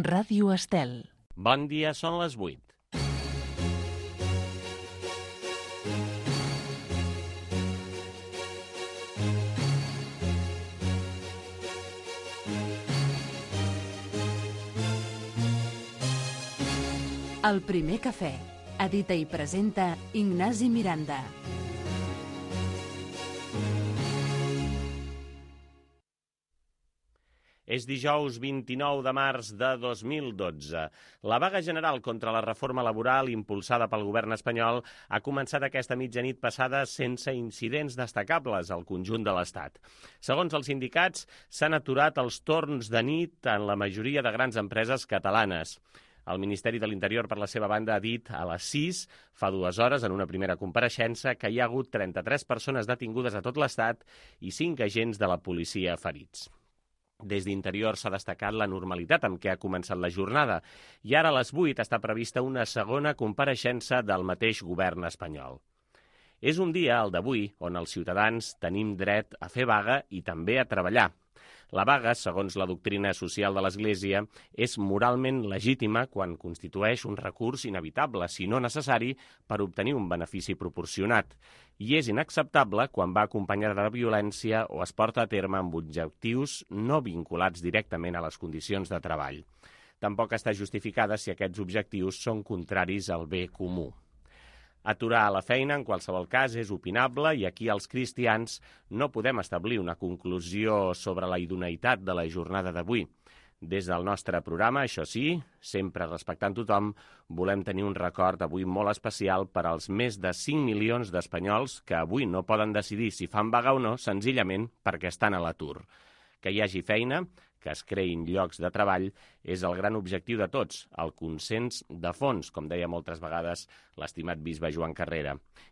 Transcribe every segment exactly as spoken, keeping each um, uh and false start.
Ràdio Estel. Bon dia, són les vuit. El primer cafè. Edita i presenta Ignasi Miranda. És dijous vint-i-nou de març de dos mil dotze. La vaga general contra la reforma laboral impulsada pel govern espanyol ha començat aquesta mitjanit passada sense incidents destacables al conjunt de l'Estat. Segons els sindicats, s'han aturat els torns de nit en la majoria de grans empreses catalanes. El Ministeri de l'Interior, per la seva banda, ha dit a les sis, fa dues hores, en una primera compareixença, que hi ha hagut trenta-tres persones detingudes a tot l'Estat i cinc agents de la policia ferits. Des d'Interior s'ha destacat la normalitat amb què ha començat la jornada i ara a les vuit està prevista una segona compareixença del mateix govern espanyol. És un dia, el d'avui, on els ciutadans tenim dret a fer vaga i també a treballar. La vaga, segons la doctrina social de l'Església, és moralment legítima quan constitueix un recurs inevitable, si no necessari, per obtenir un benefici proporcionat, i és inacceptable quan va acompanyada de violència o es porta a terme amb objectius no vinculats directament a les condicions de treball. Tampoc està justificada si aquests objectius són contraris al bé comú. Aturar la feina, en qualsevol cas, és opinable i aquí els cristians no podem establir una conclusió sobre la idoneïtat de la jornada d'avui. Des del nostre programa, això sí, sempre respectant tothom, volem tenir un record avui molt especial per als més de cinc milions d'espanyols que avui no poden decidir si fan vaga o no, senzillament perquè estan a l'atur. Que hi hagi feina, que es creïn llocs de treball, és el gran objectiu de tots, el consens de fons, com deia moltes vegades l'estimat bisbe Joan Carrera.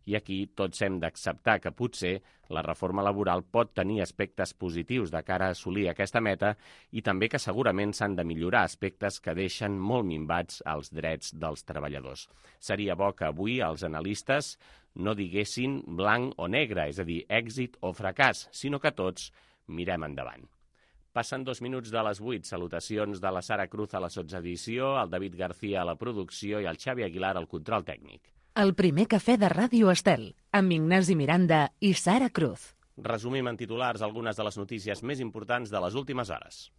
I aquí tots hem d'acceptar que potser la reforma laboral pot tenir aspectes positius de cara a assolir aquesta meta i també que segurament s'han de millorar aspectes que deixen molt minvats els drets dels treballadors. Seria bo que avui els analistes no diguessin blanc o negre, és a dir, èxit o fracàs, sinó que tots mirem endavant. Passen dos minuts de les vuit. Salutacions de la Sara Cruz a la sotsedició, el David García a la producció i el Xavi Aguilar al control tècnic. El primer cafè de Ràdio Estel, amb Ignasi Miranda i Sara Cruz. Resumim en titulars algunes de les notícies més importants de les últimes hores.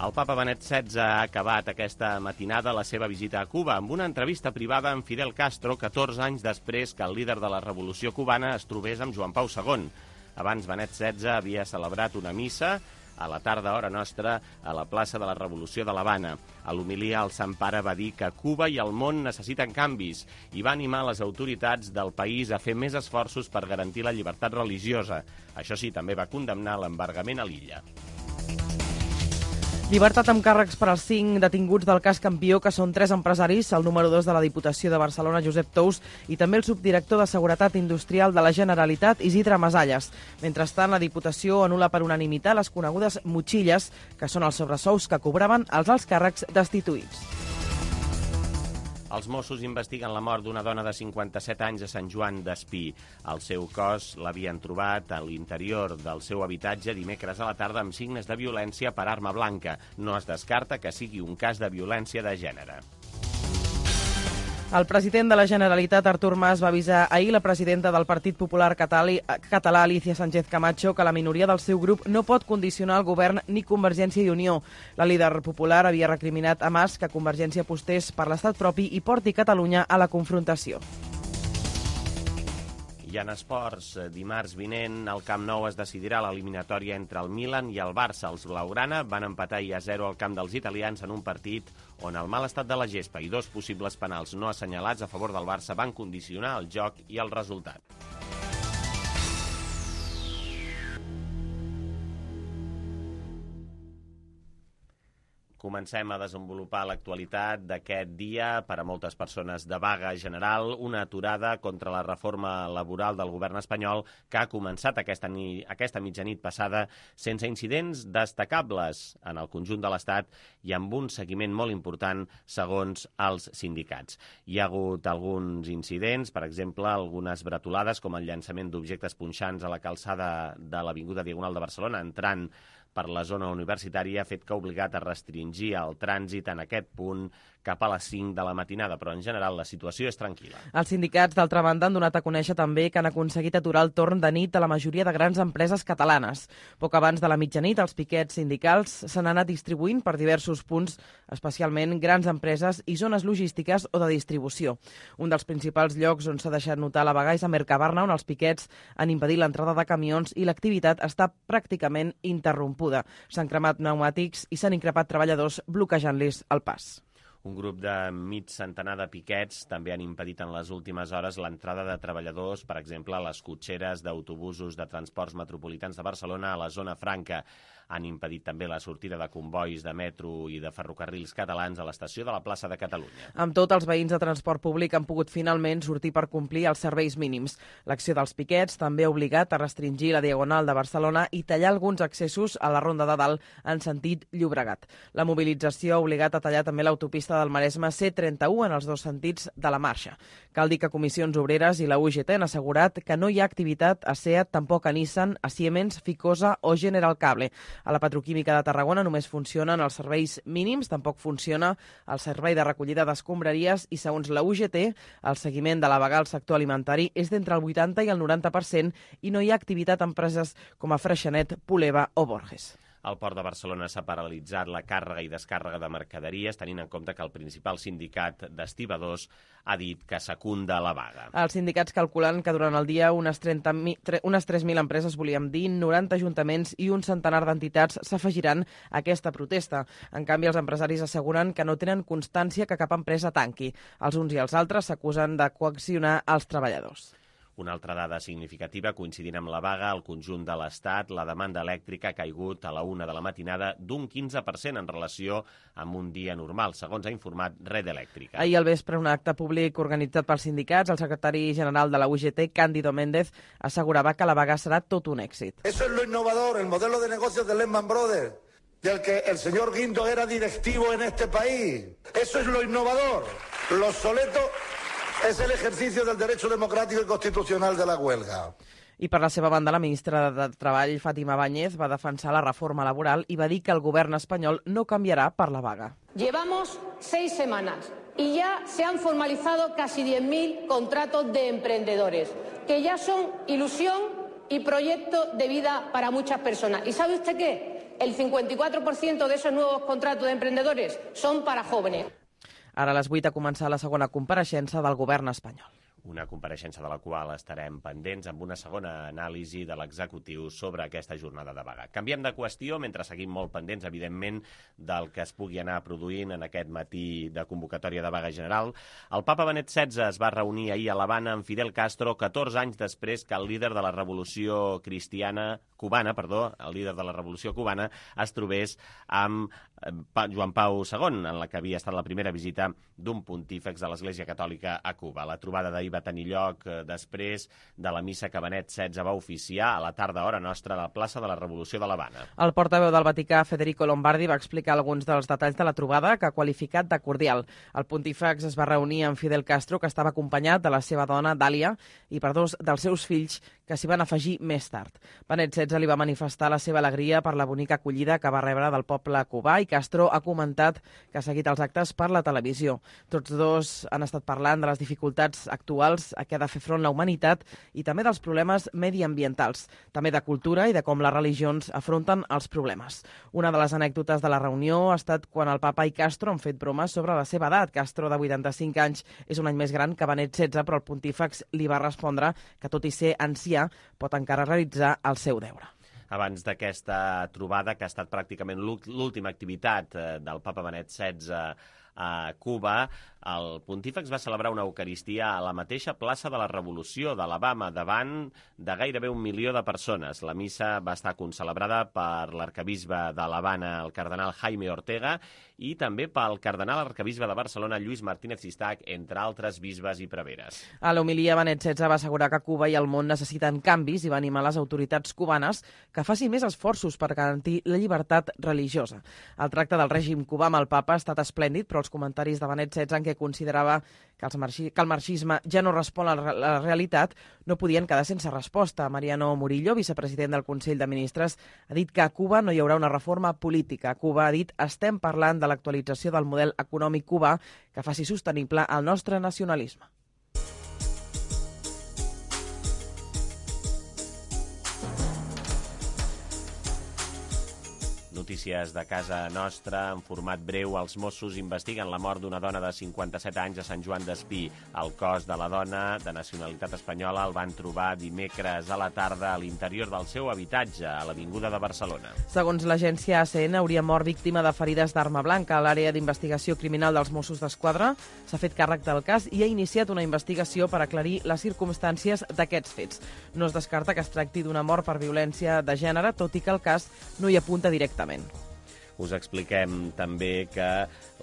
El papa Benet setze ha acabat aquesta matinada la seva visita a Cuba amb una entrevista privada amb Fidel Castro catorze anys després que el líder de la revolució cubana es trobés amb Joan Pau segon. Abans Benet setze havia celebrat una missa a la tarda hora nostra a la plaça de la Revolució de l'Havana. A l'homilia el Sant Pare va dir que Cuba i el món necessiten canvis i va animar les autoritats del país a fer més esforços per garantir la llibertat religiosa. Això sí, també va condemnar l'embargament a l'illa. Llibertat amb càrrecs per als cinc detinguts del cas Campió, que són tres empresaris, el número dos de la Diputació de Barcelona, Josep Tous, i també el subdirector de Seguretat Industrial de la Generalitat, Isidre Masalles. Mentrestant, la Diputació anul·la per unanimitat les conegudes motxilles, que són els sobresous que cobraven els alts càrrecs destituïts. Els Mossos investiguen la mort d'una dona de cinquanta-set anys a Sant Joan d'Espí. El seu cos l'havien trobat a l'interior del seu habitatge dimecres a la tarda amb signes de violència per arma blanca. No es descarta que sigui un cas de violència de gènere. El president de la Generalitat, Artur Mas, va avisar ahir la presidenta del Partit Popular Català, Alicia Sánchez Camacho, que la minoria del seu grup no pot condicionar el govern ni Convergència i Unió. La líder popular havia recriminat a Mas que Convergència apostés per l'estat propi i porti Catalunya a la confrontació. I en esports, dimarts vinent, al Camp Nou es decidirà l'eliminatòria entre el Milan i el Barça. Els blaugrana van empatar i a zero al camp dels italians en un partit on el mal estat de la gespa i dos possibles penals no assenyalats a favor del Barça van condicionar el joc i el resultat. Comencem a desenvolupar l'actualitat d'aquest dia per a moltes persones de vaga general, una aturada contra la reforma laboral del govern espanyol que ha començat aquesta, ni, aquesta mitjanit passada sense incidents destacables en el conjunt de l'Estat i amb un seguiment molt important segons els sindicats. Hi ha hagut alguns incidents, per exemple, algunes bretolades com el llançament d'objectes punxants a la calçada de l'Avinguda Diagonal de Barcelona, entrant per la zona universitària, ha fet que ha obligat a restringir el trànsit en aquest punt cap a les cinc de la matinada, però en general la situació és tranquil·la. Els sindicats, d'altra banda, han donat a conèixer també que han aconseguit aturar el torn de nit a la majoria de grans empreses catalanes. Poc abans de la mitjanit, els piquets sindicals s'han anat distribuint per diversos punts, especialment grans empreses i zones logístiques o de distribució. Un dels principals llocs on s'ha deixat notar la vaga és a Mercabarna, on els piquets han impedit l'entrada de camions i l'activitat està pràcticament interrompuda. S'han cremat pneumàtics i s'han increpat treballadors bloquejant-los el pas. Un grup de mig centenar de piquets també han impedit en les últimes hores l'entrada de treballadors, per exemple, a les cotxeres d'autobusos de transports metropolitans de Barcelona a la zona franca. Han impedit també la sortida de convois de metro i de ferrocarrils catalans a l'estació de la plaça de Catalunya. Amb tot, els veïns de transport públic han pogut finalment sortir per complir els serveis mínims. L'acció dels piquets també ha obligat a restringir la Diagonal de Barcelona i tallar alguns accessos a la Ronda de Dalt en sentit Llobregat. La mobilització ha obligat a tallar també l'autopista del Maresme C trenta-u en els dos sentits de la marxa. Cal dir que Comissions Obreres i la U G T han assegurat que no hi ha activitat a SEAT, tampoc a Nissan, a Siemens, Ficosa o General Cable. A la Petroquímica de Tarragona només funcionen els serveis mínims, tampoc funciona el servei de recollida d'escombraries i, segons la U G T, el seguiment de la vaga al sector alimentari és d'entre el vuitanta i el noranta per cent i no hi ha activitat a empreses com a Freixenet, Puleva o Borges. Al Port de Barcelona s'ha paralitzat la càrrega i descàrrega de mercaderies, tenint en compte que el principal sindicat d'estibadors ha dit que secunda la vaga. Els sindicats calculen que durant el dia unes, trenta mil, unes tres mil empreses, volíem dir, noranta ajuntaments i un centenar d'entitats s'afegiran a aquesta protesta. En canvi, els empresaris asseguren que no tenen constància que cap empresa tanqui. Els uns i els altres s'acusen de coaccionar els treballadors. Una altra dada significativa, coincidint amb la vaga, al conjunt de l'Estat, la demanda elèctrica ha caigut a la una de la matinada d'un quinze per cent en relació amb un dia normal, segons ha informat Red Elèctrica. Ahir al vespre, un acte públic organitzat pels sindicats, el secretari general de la U G T, Cándido Méndez, assegurava que la vaga serà tot un èxit. Eso es lo innovador, el modelo de negocios de Lehman Brothers, del que el señor Guindos era directivo en este país. Eso es lo innovador. Lo obsoleto es el ejercicio del derecho democrático y constitucional de la huelga. I per la seva banda, la ministra de Treball, Fátima Báñez, va defensar la reforma laboral i va dir que el govern espanyol no canviará per la vaga. Llevamos seis semanas y ya se han formalizado casi diez mil contratos de emprendedores, que ya son ilusión y proyecto de vida para muchas personas. ¿Y sabe usted qué? El cincuenta y cuatro por ciento de esos nuevos contratos de emprendedores son para jóvenes. Ara a les vuit ha començat la segona compareixença del govern espanyol. Una compareixença de la qual estarem pendents amb una segona anàlisi de l'executiu sobre aquesta jornada de vaga. Canviem de qüestió mentre seguim molt pendents, evidentment, del que es pugui anar produint en aquest matí de convocatòria de vaga general. El papa Benet setze es va reunir ahir a l'Havana amb Fidel Castro catorze anys després que el líder de la revolució cristiana cubana, perdó, el líder de la revolució cubana es trobés amb Joan Pau segon, en la que havia estat la primera visita d'un pontífex de l'Església Catòlica a Cuba. La trobada d'ahir va tenir lloc després de la missa que Benet setze va oficiar a la tarda hora nostra a la plaça de la Revolució de l'Havana. El portaveu del Vaticà, Federico Lombardi, va explicar alguns dels detalls de la trobada que ha qualificat de cordial. El pontífex es va reunir amb Fidel Castro, que estava acompanyat de la seva dona, Dàlia, i per dos dels seus fills, que s'hi van afegir més tard. Benet setze li va manifestar la seva alegria per la bonica acollida que va rebre del poble cubà i Castro ha comentat que ha seguit els actes per la televisió. Tots dos han estat parlant de les dificultats actuals a què ha de fer front la humanitat i també dels problemes mediambientals, també de cultura i de com les religions afronten els problemes. Una de les anècdotes de la reunió ha estat quan el papa i Castro han fet bromes sobre la seva edat. Castro, de vuitanta-cinc anys, és un any més gran que Benet setze, però el pontífex li va respondre que, tot i ser ancià, pot encara realitzar el seu deure. Abans d'aquesta trobada, que ha estat pràcticament l'última activitat del papa Benet setze a Cuba, El pontífex va celebrar una eucaristia a la mateixa plaça de la Revolució d'Alabama, davant de gairebé un milió de persones. La missa va estar concelebrada per l'arcabisbe d'Alabama, el cardenal Jaime Ortega, i també pel cardenal arcabisbe de Barcelona, Lluís Martínez Sistac, entre altres bisbes i preveres. A l'homilia, Benet setze va assegurar que Cuba i el món necessiten canvis i va animar les autoritats cubanes que facin més esforços per garantir la llibertat religiosa. El tracte del règim cubà amb el papa ha estat esplèndid, però els comentaris de Benet setze en què considerava que, els marxi, que el marxisme ja no respon a la realitat no podien quedar sense resposta. Mariano Murillo, vicepresident del Consell de Ministres, ha dit que a Cuba no hi haurà una reforma política. Cuba ha dit estem parlant de l'actualització del model econòmic cubà que faci sostenible el nostre nacionalisme. Notícies de casa nostra, en format breu. Els Mossos investiguen la mort d'una dona de cinquanta-set anys a Sant Joan d'Espí. El cos de la dona, de nacionalitat espanyola, el van trobar dimecres a la tarda a l'interior del seu habitatge, a l'Avinguda de Barcelona. Segons l'agència A C N, hauria mort víctima de ferides d'arma blanca. L'àrea d'investigació criminal dels Mossos d'Esquadra s'ha fet càrrec del cas i ha iniciat una investigació per aclarir les circumstàncies d'aquests fets. No es descarta que es tracti d'una mort per violència de gènere, tot i que el cas no hi apunta directament. Us expliquem també que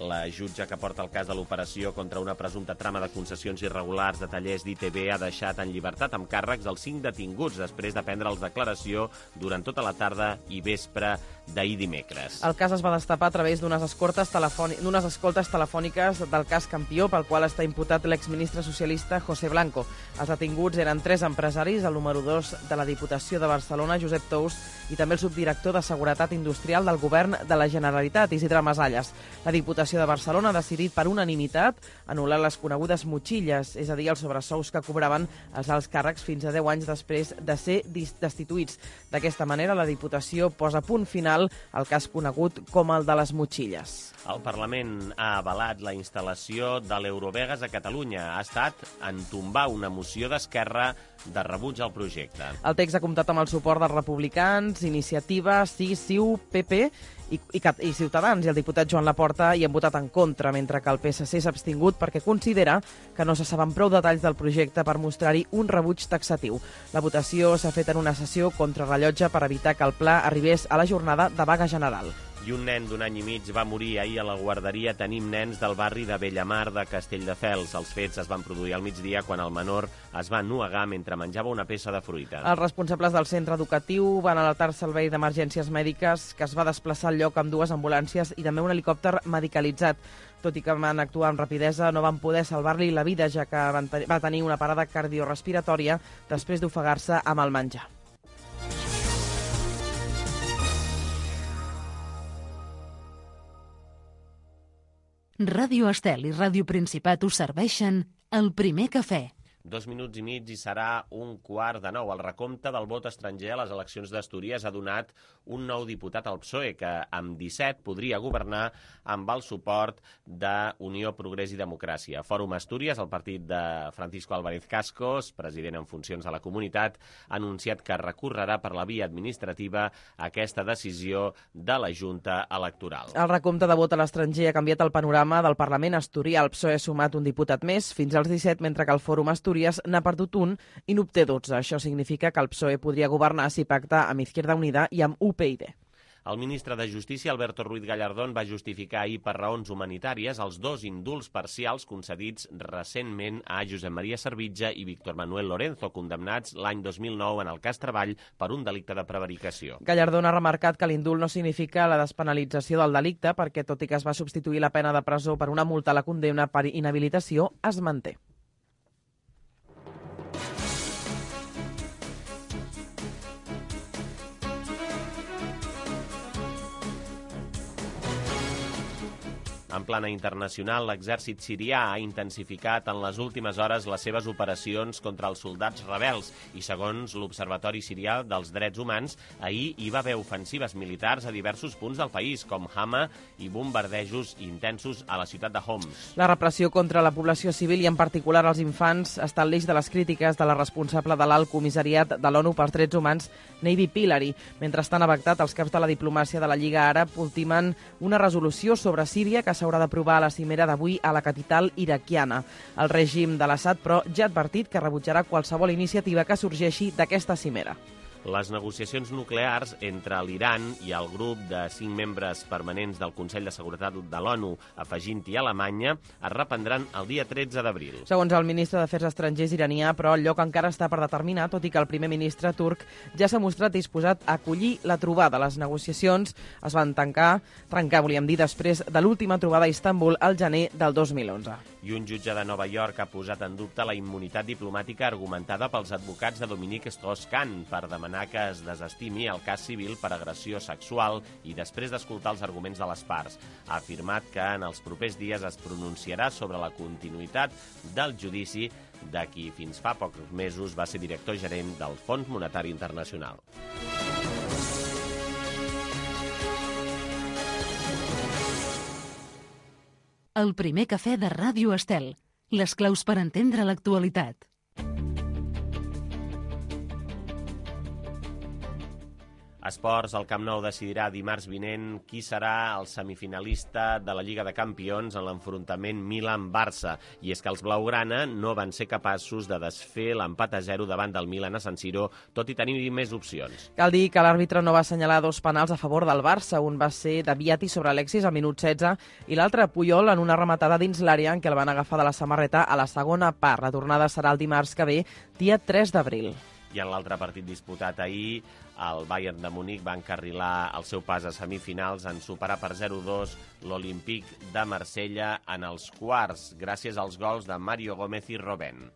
la jutge que porta el cas de l'operació contra una presumpta trama de concessions irregulars de tallers d'I T B ha deixat en llibertat amb càrrecs els cinc detinguts després de prendre'ls declaració durant tota la tarda i vespre d'ahir dimecres. El cas es va destapar a través d'unes escoltes, telefoni... d'unes escoltes telefòniques del cas Campió, pel qual està imputat l'exministre socialista José Blanco. Els detinguts eren tres empresaris, el número dos de la Diputació de Barcelona, Josep Tous, i també el subdirector de Seguretat Industrial del Govern de la Generalitat, Isidre Masalles. La Diputació de Barcelona ha decidit per unanimitat anul·lar les conegudes motxilles, és a dir, els sobresous que cobraven els alts càrrecs fins a deu anys després de ser destituïts. D'aquesta manera, la Diputació posa punt final al cas conegut com el de les motxilles. El Parlament ha avalat la instal·lació de l'Eurovegas a Catalunya. Ha estat en tombar una moció d'Esquerra de rebuig al projecte. El text ha comptat amb el suport dels republicans, Iniciativa, C I S, C I U, P P i, i, i Ciutadans, i el diputat Joan Laporta hi han votat en contra, mentre que el P S C s'ha abstingut perquè considera que no se saben prou detalls del projecte per mostrar-hi un rebuig taxatiu. La votació s'ha fet en una sessió contrarrellotge per evitar que el pla arribés a la jornada de vaga general. I un nen d'un any i mig va morir ahir a la guarderia Tenim Nens del barri de Bellamar de Castelldefels. Els fets es van produir al migdia quan el menor es va ennuegar mentre menjava una peça de fruita. Els responsables del centre educatiu van alertar el servei d'emergències mèdiques, que es va desplaçar al lloc amb dues ambulàncies i també un helicòpter medicalitzat. Tot i que van actuar amb rapidesa, no van poder salvar-li la vida, ja que va tenir una parada cardiorespiratòria després d'ofegar-se amb el menjar. Ràdio Estel i Ràdio Principat us serveixen el primer cafè. Dos minuts i mig i serà un quart de nou. El recompte del vot estranger a les eleccions d'Astúries ha donat un nou diputat al P S O E que amb disset podria governar amb el suport d'Unió, Progrés i Democràcia. Fòrum Astúries, el partit de Francisco Álvarez Cascos, president en funcions de la comunitat, ha anunciat que recorrerà per la via administrativa aquesta decisió de la Junta Electoral. El recompte de vot a l'estranger ha canviat el panorama del Parlament asturià. El P S O E ha sumat un diputat més, fins als disset, mentre que el Fòrum Astúries n'ha perdut un i n'obté dotze. Això significa que el P S O E podria governar si pacta amb Izquierda Unida i amb U P y D. El ministre de Justícia, Alberto Ruiz Gallardón, va justificar ahir per raons humanitàries els dos indults parcials concedits recentment a Josep Maria Servitje i Víctor Manuel Lorenzo, condemnats l'any dos mil nou en el cas Treball per un delicte de prevaricació. Gallardón ha remarcat que l'indult no significa la despenalització del delicte perquè, tot i que es va substituir la pena de presó per una multa a la condemna per inhabilitació, es manté. En plana internacional, l'exèrcit sirià ha intensificat en les últimes hores les seves operacions contra els soldats rebels i, segons l'Observatori Sirià dels Drets Humans, ahir hi va haver ofensives militars a diversos punts del país, com Hama, i bombardejos intensos a la ciutat de Homs. La repressió contra la població civil i, en particular, els infants, està al l'eix de les crítiques de la responsable de l'Alt Comissariat de l'ONU pels Drets Humans, Navy Pillay. Mentrestant, a Bagdad, els caps de la diplomàcia de la Lliga Àrab ultimen una resolució sobre Síria que s'haurà d'aprovar a la cimera d'avui a la capital iraquiana. El règim de l'Assad, però, ja ha advertit que rebutjarà qualsevol iniciativa que sorgeixi d'aquesta cimera. Les negociacions nuclears entre l'Iran i el grup de cinc membres permanents del Consell de Seguretat de l'ONU, afegint-hi Alemanya, es reprendran el dia tretze d'abril. Segons el ministre d'Afers Estrangers iranià, però el lloc encara està per determinar, tot i que el primer ministre turc ja s'ha mostrat disposat a acollir la trobada. Les negociacions es van tancar, trencar, volíem dir, després de l'última trobada a Istanbul al gener del dos mil onze. I un jutge de Nova York ha posat en dubte la immunitat diplomàtica argumentada pels advocats de Dominique Strauss-Kahn per demanar que es desestimi el cas civil per agressió sexual i després d'escoltar els arguments de les parts. Ha afirmat que en els propers dies es pronunciarà sobre la continuïtat del judici de qui fins fa pocs mesos va ser director gerent del Fons Monetari Internacional. El primer cafè de Ràdio Estel. Les claus per entendre l'actualitat. Esports, el Camp Nou decidirà dimarts vinent qui serà el semifinalista de la Lliga de Campions en l'enfrontament Milan-Barça. I és que els blaugrana no van ser capaços de desfer l'empat a zero davant del Milan a San Siro, tot i tenir més opcions. Cal dir que l'àrbitre no va assenyalar dos penals a favor del Barça. Un va ser de Viati sobre Alexis al minut setze i l'altre Puyol en una rematada dins l'àrea en què el van agafar de la samarreta a la segona part. La tornada serà el dimarts que ve, dia tres d'abril. I en l'altre partit disputat ahir, el Bayern de Munic va encarrilar el seu pas a semifinals en superar per zero dos l'Olímpic de Marsella en els quarts, gràcies als gols de Mario Gómez i Robben.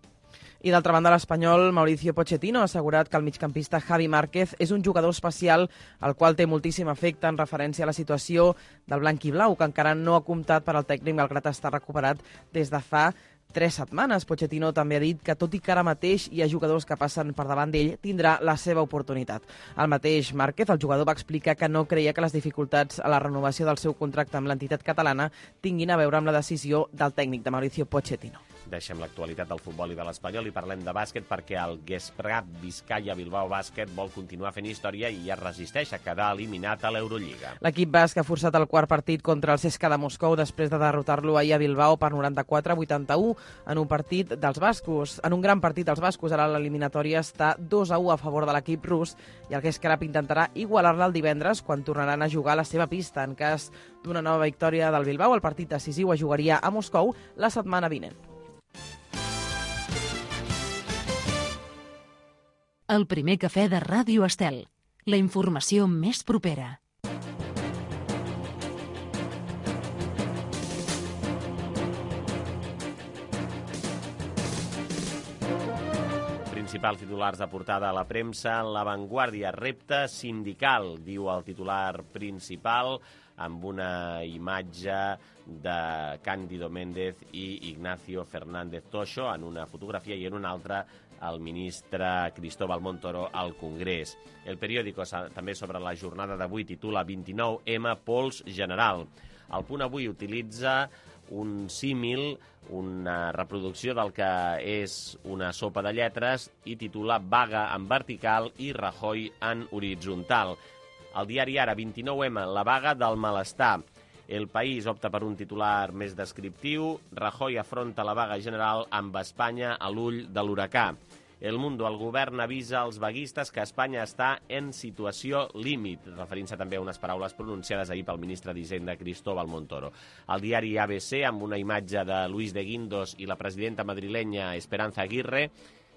I d'altra banda, l'espanyol Mauricio Pochettino ha assegurat que el migcampista Javi Márquez és un jugador especial al qual té moltíssim efecte en referència a la situació del blanc i blau, que encara no ha comptat per al tècnic malgrat estar recuperat des de fa tres setmanes. Pochettino també ha dit que, tot i que ara mateix hi ha jugadors que passen per davant d'ell, tindrà la seva oportunitat. El mateix Márquez, el jugador, va explicar que no creia que les dificultats a la renovació del seu contracte amb l'entitat catalana tinguin a veure amb la decisió del tècnic de Mauricio Pochettino. Deixem l'actualitat del futbol i de l'Espanyol i parlem de bàsquet perquè el Gesprat Vizcaya Bilbao Bàsquet vol continuar fent història i es resisteix a quedar eliminat a l'Eurolliga. L'equip basc ha forçat el quart partit contra el C S K A de Moscou després de derrotar-lo ahir a Bilbao per noranta-quatre a vuitanta-u en un partit dels bascos. En un gran partit dels bascos, ara l'eliminatòria està dos a u a favor de l'equip rus i el Gesprat intentarà igualar-la el divendres quan tornaran a jugar a la seva pista. En cas d'una nova victòria del Bilbao, el partit decisiu es jugaria a Moscou la setmana vinent. El primer cafè de Ràdio Estel. La informació més propera. Principals titulars de portada a la premsa. La Vanguardia, repte sindical, diu el titular principal, amb una imatge de Cándido Méndez i Ignacio Fernández Toxo en una fotografia i en una altra el ministre Cristóbal Montoro al Congrés. El periòdico també sobre la jornada d'avui titula vint-i-nou eme Pols General. El Punt Avui utilitza un símil, una reproducció del que és una sopa de lletres i titula Vaga en vertical i Rajoy en horitzontal. El diari Ara, vint-i-nou eme, la vaga del malestar. El País opta per un titular més descriptiu. Rajoy afronta la vaga general amb Espanya a l'ull de l'huracà. El Mundo, el govern avisa als vaguistes que Espanya està en situació límit, referint-se també a unes paraules pronunciades ahir pel ministre d'Hisenda Cristóbal Montoro. El diari A B C, amb una imatge de Luis de Guindos i la presidenta madrilenya Esperanza Aguirre,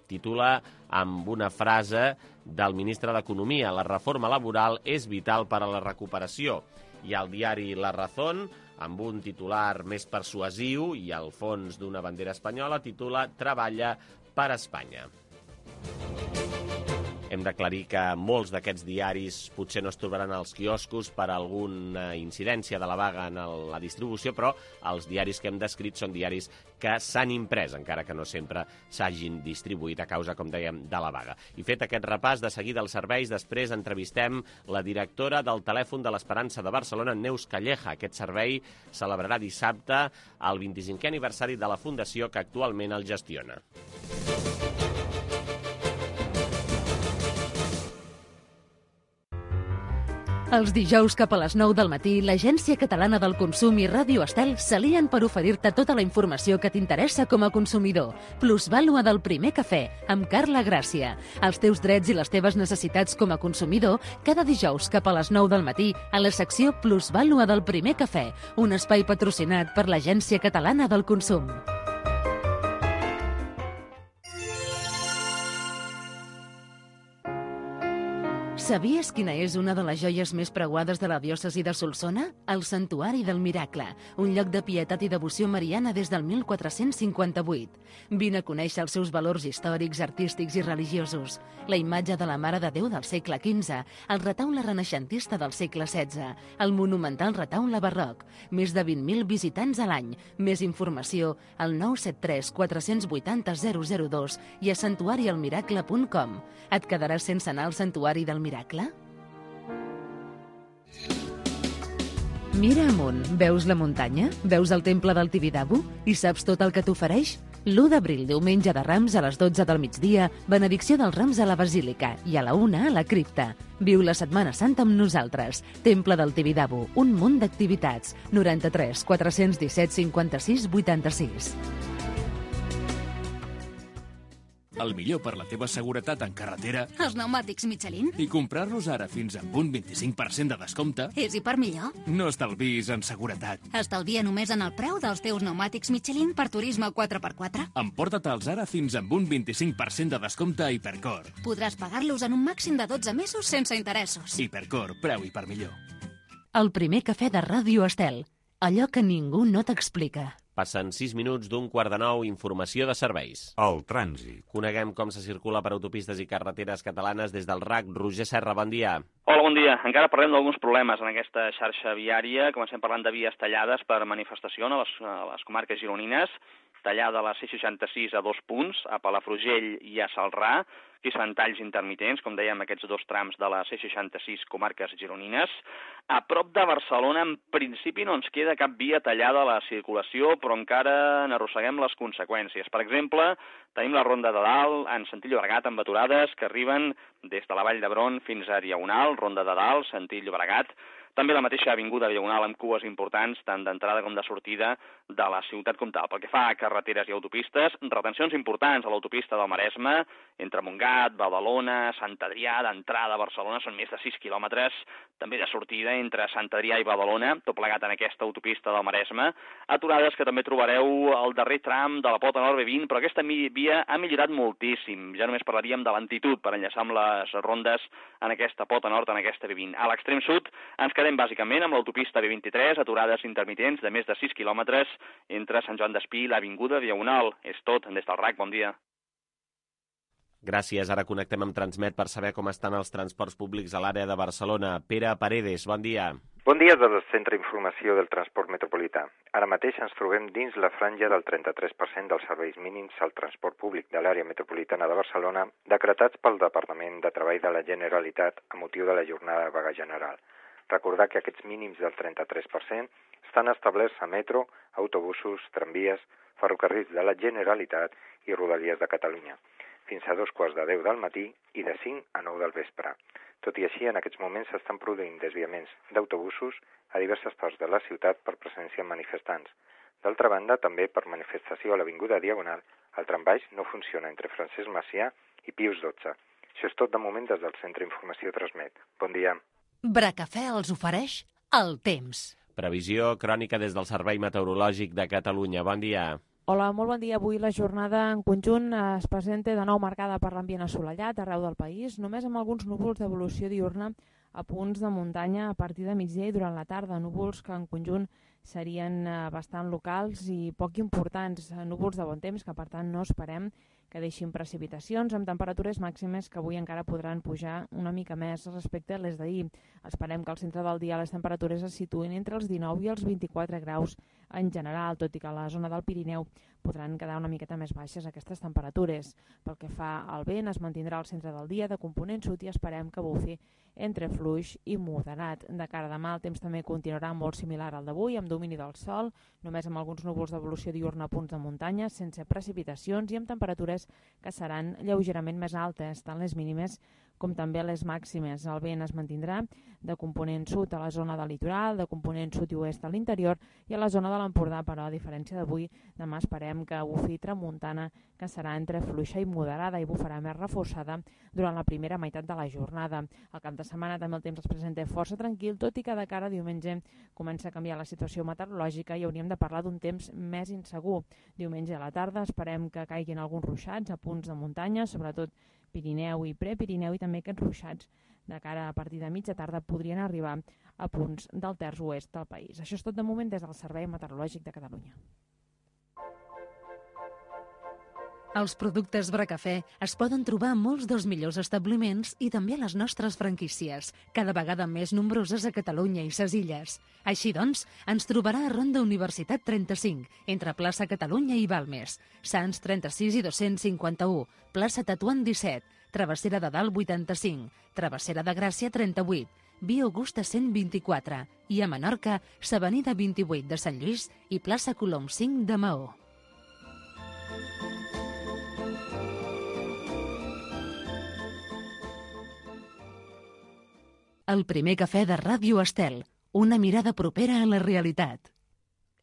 titula amb una frase del ministre d'Economia: la reforma laboral és vital per a la recuperació. I el diari La Razón, amb un titular més persuasiu i al fons d'una bandera espanyola, titula Treballa per Espanya. Hem d'aclarir que molts d'aquests diaris potser no es trobaran als quioscos per alguna incidència de la vaga en la distribució, però els diaris que hem descrit són diaris que s'han imprès, encara que no sempre s'hagin distribuït a causa, com dèiem, de la vaga. I fet aquest repàs, de seguida als serveis, després entrevistem la directora del telèfon de l'Esperança de Barcelona, Neus Calleja. Aquest servei celebrarà dissabte el vint-i-cinquè aniversari de la fundació que actualment el gestiona. Els dijous cap a les nou del matí, l'Agència Catalana del Consum i Ràdio Estel s'alien per oferir-te tota la informació que t'interessa com a consumidor. Plusvàlua del primer cafè, amb Carla Gràcia. Els teus drets i les teves necessitats com a consumidor, cada dijous cap a les nou del matí, a la secció Plusvàlua del primer cafè, un espai patrocinat per l'Agència Catalana del Consum. Sabies quina és una de les joies més preuades de la diòcesi de Solsona? El Santuari del Miracle, un lloc de pietat i devoció mariana des del mil quatre-cents cinquanta-vuit. Vine a conèixer els seus valors històrics, artístics i religiosos. La imatge de la Mare de Déu del segle quinze, el retaule renaixentista del segle setze, el monumental retaule barroc, més de vint mil visitants a l'any. Més informació al nou set tres quatre vuit zero zero zero dos i a santuari el miracle punt com. Et quedaràs sense anar al Santuari del Miracle? Mira amunt, veus la muntanya? Veus el temple del Tibidabo? I saps tot el que t'ofereix? l'u d'abril, diumenge de Rams, a les dotze del migdia, benedicció dels Rams a la Basílica i a la una a la cripta. Viu la Setmana Santa amb nosaltres. Temple del Tibidabo, un munt d'activitats. noranta-tres quatre disset cinquanta-sis vuitanta-sis. El millor per la teva seguretat en carretera... Els pneumàtics Michelin. I comprar-los ara fins amb un vint-i-cinc per cent de descompte... És i per millor. No estalvis en seguretat. Estalvia només en el preu dels teus pneumàtics Michelin per turisme quatre per quatre. Emporta-te'ls ara fins amb un vint-i-cinc per cent de descompte a Hipercor. Podràs pagar-los en un màxim de dotze mesos sense interessos. Hipercor, preu i per millor. El primer cafè de Ràdio Estel. Allò que ningú no t'explica. Passen sis minuts d'un quart de nou, informació de serveis. El trànsit. Coneguem com se circula per autopistes i carreteres catalanes des del R A C. Roger Serra, bon dia. Hola, bon dia. Encara parlem d'alguns problemes en aquesta xarxa viària. Comencem parlant de vies tallades per manifestació a les, a les comarques gironines. Tallada a la C seixanta-sis a dos punts, a Palafrugell i a Celrà. Aquí es fan talls intermitents, com dèiem, aquests dos trams de la C seixanta-sis comarques gironines. A prop de Barcelona, en principi, no ens queda cap via tallada a la circulació, però encara n'arrosseguem les conseqüències. Per exemple, tenim la Ronda de Dalt, en sentit Llobregat, amb aturades que arriben des de la Vall d'Hebron fins a Diagonal, Ronda de Dalt, sentit Llobregat. També la mateixa avinguda Diagonal amb cues importants, tant d'entrada com de sortida de la ciutat comtal. Pel que fa a carreteres i autopistes, retencions importants a l'autopista del Maresme, entre Montgat, Badalona, Sant Adrià, d'entrada a Barcelona, són més de sis quilòmetres, també de sortida entre Sant Adrià i Badalona, tot plegat en aquesta autopista del Maresme. Aturades que també trobareu al darrer tram de la Pota Nord B vint, però aquesta via ha millorat moltíssim. Ja només parlaríem de lentitud per enllaçar amb les rondes en aquesta Pota Nord, en aquesta B vint. A l'extrem sud ens quedem bàsicament amb l'autopista B vint-i-tres, aturades intermitents de més de sis quilòmetres entre Sant Joan d'Espí i l'Avinguda Diagonal. És tot, des del R A C, bon dia. Gràcies, ara connectem amb Transmet per saber com estan els transports públics a l'àrea de Barcelona. Pere Paredes, bon dia. Bon dia des del Centre d'Informació del Transport Metropolità. Ara mateix ens trobem dins la franja del trenta-tres per cent dels serveis mínims al transport públic de l'àrea metropolitana de Barcelona, decretats pel Departament de Treball de la Generalitat a motiu de la jornada de vaga general. Recordar que aquests mínims del trenta-tres per cent estan establerts a metro, autobusos, tramvies, ferrocarrils de la Generalitat i Rodalies de Catalunya, fins a dos quarts de deu del matí i de cinc a nou del vespre. Tot i així, en aquests moments s'estan produint desviaments d'autobusos a diverses parts de la ciutat per presència de manifestants. D'altra banda, també per manifestació a l'Avinguda Diagonal, el trambaix no funciona entre Francesc Macià i Pius dotze. Això és tot de moment des del Centre d'Informació Transmet. Bon dia. Bracafè els ofereix el temps. Previsió crònica des del Servei Meteorològic de Catalunya. Bon dia. Hola, molt bon dia. Avui la jornada en conjunt es presenta de nou marcada per l'ambient assolellat arreu del país, només amb alguns núvols d'evolució diurna a punts de muntanya a partir de migdia i durant la tarda. Núvols que en conjunt serien bastant locals i poc importants. Núvols de bon temps que, per tant, no esperem que deixin precipitacions amb temperatures màximes que avui encara podran pujar una mica més respecte a les d'ahir. Esperem que al centre del dia les temperatures es situïn entre els dinou i els vint-i-quatre graus en general, tot i que a la zona del Pirineu podran quedar una miqueta més baixes aquestes temperatures. Pel que fa al vent, es mantindrà al centre del dia de component sud i esperem que bufi entre fluix i moderat. De cara a demà el temps també continuarà molt similar al d'avui, amb domini del sol, només amb alguns núvols d'evolució diurna a punts de muntanya, sense precipitacions i amb temperatures que seran lleugerament més altes, tant les mínimes com també les màximes. El vent es mantindrà de component sud a la zona del litoral, de component sud i oest a l'interior i a la zona de l'Empordà, però a diferència d'avui, demà esperem que bufi tramuntana, que serà entre fluixa i moderada i bufarà més reforçada durant la primera meitat de la jornada. Al cap de setmana també el temps es presenta força tranquil, tot i que de cara a diumenge comença a canviar la situació meteorològica i hauríem de parlar d'un temps més insegur. Diumenge a la tarda esperem que caiguin alguns ruixats a punts de muntanya, sobretot Pirineu i Prepirineu, i també aquests ruixats de cara a partir de mitja tarda podrien arribar a punts del terç oest del país. Això és tot de moment des del Servei Meteorològic de Catalunya. Els productes Bracafè es poden trobar a molts dels millors establiments i també a les nostres franquícies, cada vegada més nombroses a Catalunya i ses Illes. Així doncs, ens trobarà a Ronda Universitat trenta-cinc, entre plaça Catalunya i Balmes, Sants trenta-sis i dos-cents cinquanta-u, plaça Tetuan disset, Travessera de Dalt vuitanta-cinc, Travessera de Gràcia trenta-vuit, Via Augusta cent vint-i-quatre i a Menorca, s'Avenida vint-i-vuit de Sant Lluís i plaça Colom cinc de Maó. El primer cafè de Ràdio Estel, una mirada propera a la realitat.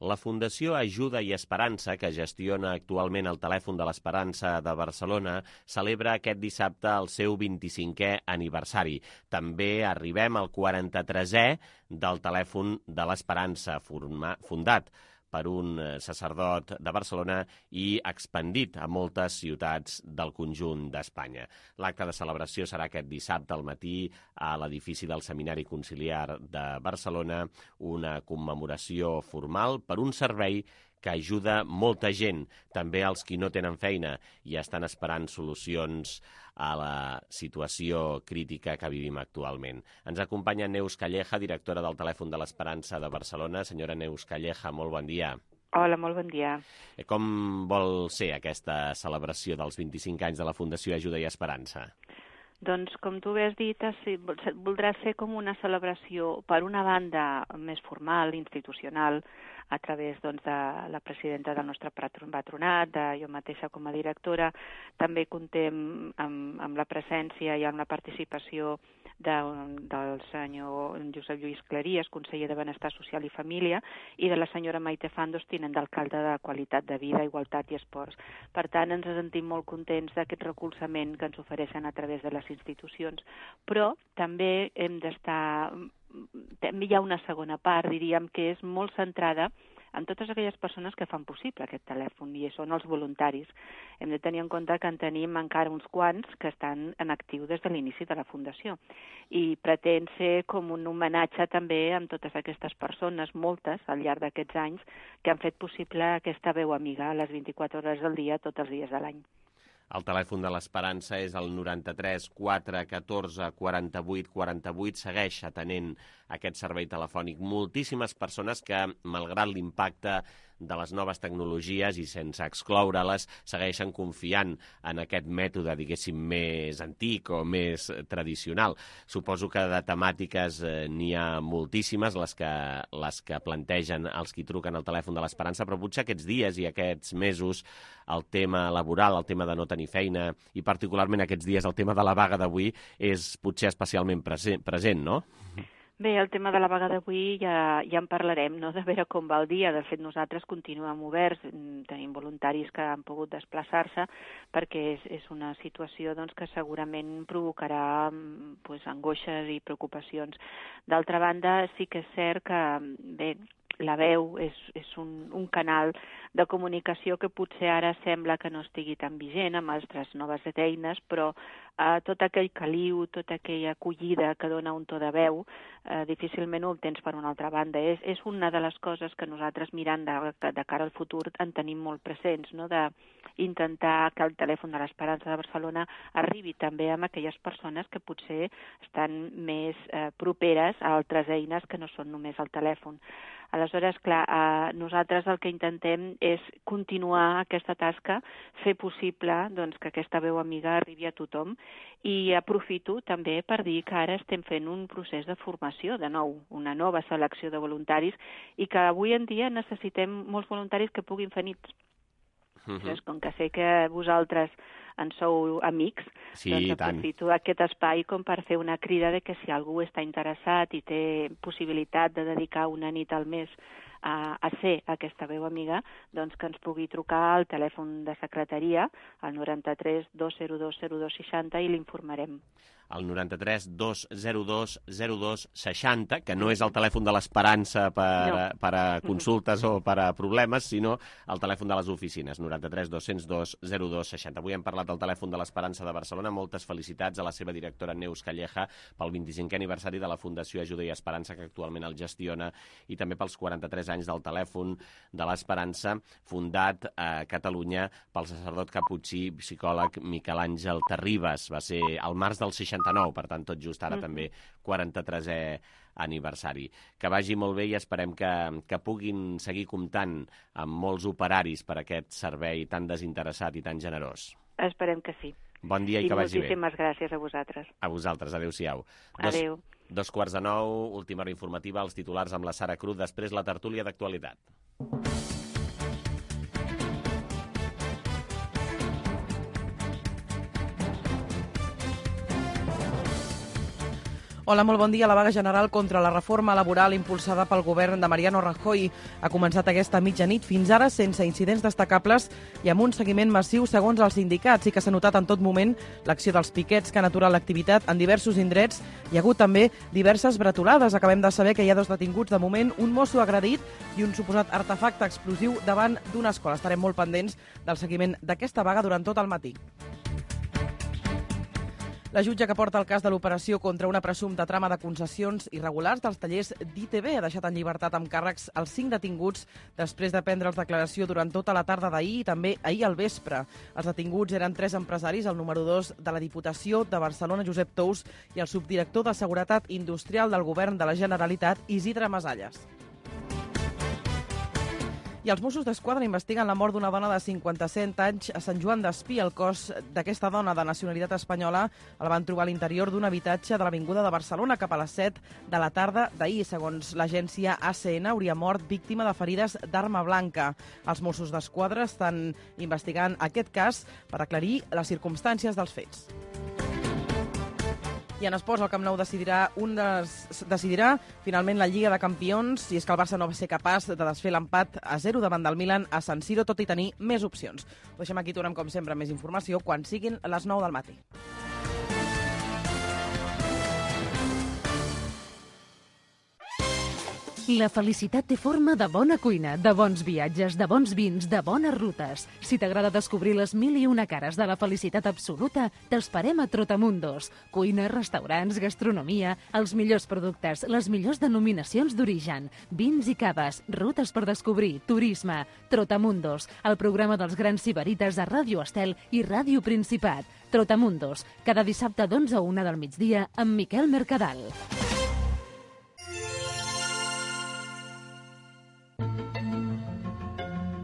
La Fundació Ajuda i Esperança, que gestiona actualment el Telèfon de l'Esperança de Barcelona, celebra aquest dissabte el seu vint-i-cinquè aniversari. També arribem al quaranta-tresè del Telèfon de l'Esperança, fundat per un sacerdot de Barcelona i expandit a moltes ciutats del conjunt d'Espanya. L'acte de celebració serà aquest dissabte al matí a l'edifici del Seminari Conciliar de Barcelona, una commemoració formal per un servei que ajuda molta gent, també els qui no tenen feina i estan esperant solucions a la situació crítica que vivim actualment. Ens acompanya Neus Calleja, directora del Telèfon de l'Esperança de Barcelona. Senyora Neus Calleja, molt bon dia. Hola, molt bon dia. Com vol ser aquesta celebració dels vint-i-cinc anys de la Fundació Ajuda i Esperança? Doncs, com tu bé has dit, voldrà ser com una celebració, per una banda, més formal, institucional, a través doncs, de la presidenta del nostre patronat, de jo mateixa com a directora. També comptem amb, amb la presència i amb la participació de, del senyor Josep Lluís Claries, conseller de Benestar Social i Família, i de la senyora Maite Fandos, tinent d'alcalde de Qualitat de Vida, Igualtat i Esports. Per tant, ens sentim molt contents d'aquest recolzament que ens ofereixen a través de les institucions, però també hem d'estar... També hi ha una segona part, diríem, que és molt centrada en totes aquelles persones que fan possible aquest telèfon, i són els voluntaris. Hem de tenir en compte que en tenim encara uns quants que estan en actiu des de l'inici de la Fundació, i pretén ser com un homenatge també amb totes aquestes persones, moltes, al llarg d'aquests anys, que han fet possible aquesta veu amiga a les vint-i-quatre hores del dia, tots els dies de l'any. El telèfon de l'Esperança és el noranta-tres quatre catorze quaranta-vuit quaranta-vuit. Segueix atenent aquest servei telefònic moltíssimes persones que, malgrat l'impacte de les noves tecnologies i sense excloure-les, segueixen confiant en aquest mètode, diguéssim, més antic o més tradicional. Suposo que de temàtiques eh, n'hi ha moltíssimes, les que, les que plantegen els qui truquen al telèfon de l'Esperança, però potser aquests dies i aquests mesos el tema laboral, el tema de no tenir feina, i particularment aquests dies el tema de la vaga d'avui és potser especialment present, present, no? Bé, el tema de la vaga d'avui ja, ja en parlarem, no?, de veure com va el dia. De fet, nosaltres continuem oberts, tenim voluntaris que han pogut desplaçar-se, perquè és, és una situació doncs, que segurament provocarà pues, angoixes i preocupacions. D'altra banda, sí que és cert que, bé, la veu és, és un, un canal de comunicació que potser ara sembla que no estigui tan vigent amb altres noves eines, però eh, tot aquell caliu, tota aquella acollida que dona un to de veu, eh, difícilment ho obtens per una altra banda. És, és una de les coses que nosaltres, mirant de, de cara al futur, en tenim molt presents, no?, d'intentar que el telèfon de l'Esperança de Barcelona arribi també amb aquelles persones que potser estan més eh, properes a altres eines que no són només el telèfon. Aleshores, clar, eh, nosaltres el que intentem és continuar aquesta tasca, fer possible doncs, que aquesta veu amiga arribi a tothom, i aprofito també per dir que ara estem fent un procés de formació, de nou, una nova selecció de voluntaris, i que avui en dia necessitem molts voluntaris que puguin fer nits. Uh-huh. Llavors, com que sé que vosaltres en sou amics, sí, doncs aprofito aquest espai com per fer una crida de que si algú està interessat i té possibilitat de dedicar una nit al mes a, a ser aquesta veu amiga, doncs que ens pugui trucar al telèfon de secretaria, al noranta-tres dos zero dos zero dos seixanta, i l'informarem. El noranta-tres dos zero dos zero dos seixanta, que no és el telèfon de l'Esperança per, no. per a consultes o per a problemes, sinó el telèfon de les oficines, noranta-tres dos cents dos zero dos seixanta. Avui hem parlat del telèfon de l'Esperança de Barcelona. Moltes felicitats a la seva directora Neus Calleja pel vint-i-cinquè aniversari de la Fundació Ajuda i Esperança, que actualment el gestiona, i també pels quaranta-tres anys del telèfon de l'Esperança, fundat a Catalunya pel sacerdot caputxí psicòleg Miquel Àngel Terribas. Va ser al març del seixanta-nou, per tant, tot just ara mm-hmm. també quaranta-tresè aniversari. Que vagi molt bé i esperem que, que puguin seguir comptant amb molts operaris per aquest servei tan desinteressat i tan generós. Esperem que sí. Bon dia i, i que vagi bé. I moltíssimes gràcies a vosaltres. A vosaltres. Adéu-siau. Adéu. Dos, dos quarts de nou, última hora informativa, els titulars amb la Sara Cruz, després la tertúlia d'actualitat. Hola, molt bon dia. La vaga general contra la reforma laboral impulsada pel govern de Mariano Rajoy ha començat aquesta mitjanit, fins ara sense incidents destacables i amb un seguiment massiu segons els sindicats. Sí que s'ha notat en tot moment l'acció dels piquets que han aturat l'activitat en diversos indrets. Hi ha hagut també diverses bretolades. Acabem de saber que hi ha dos detinguts de moment, un mosso agredit i un suposat artefacte explosiu davant d'una escola. Estarem molt pendents del seguiment d'aquesta vaga durant tot el matí. La jutge que porta el cas de l'operació contra una presumpta trama de concessions irregulars dels tallers d'I T V ha deixat en llibertat amb càrrecs els cinc detinguts després de prendre'ls declaració durant tota la tarda d'ahir i també ahir al vespre. Els detinguts eren tres empresaris, el número dos de la Diputació de Barcelona, Josep Tous, i el subdirector de Seguretat Industrial del Govern de la Generalitat, Isidre Masalles. I els Mossos d'Esquadra investiguen la mort d'una dona de cinquanta-set anys a Sant Joan d'Espí. El cos d'aquesta dona de nacionalitat espanyola el van trobar a l'interior d'un habitatge de l'Avinguda de Barcelona cap a les set de la tarda d'ahir. Segons l'agència A C N, hauria mort víctima de ferides d'arma blanca. Els Mossos d'Esquadra estan investigant aquest cas per aclarir les circumstàncies dels fets. I en esports, el Camp Nou decidirà, un des, decidirà finalment la Lliga de Campions, i és que el Barça no va ser capaç de desfer l'empat a zero davant del Milan a San Siro, tot i tenir més opcions. Ho deixem aquí, tornem com sempre més informació quan siguin les nou del matí. La felicitat té forma de bona cuina, de bons viatges, de bons vins, de bones rutes. Si t'agrada descobrir les mil i una cares de la felicitat absoluta, t'esperem a Trotamundos. Cuina, restaurants, gastronomia, els millors productes, les millors denominacions d'origen, vins i caves, rutes per descobrir, turisme. Trotamundos, el programa dels grans sibarites a Ràdio Estel i Ràdio Principat. Trotamundos, cada dissabte d'onze a una del migdia amb Miquel Mercadal.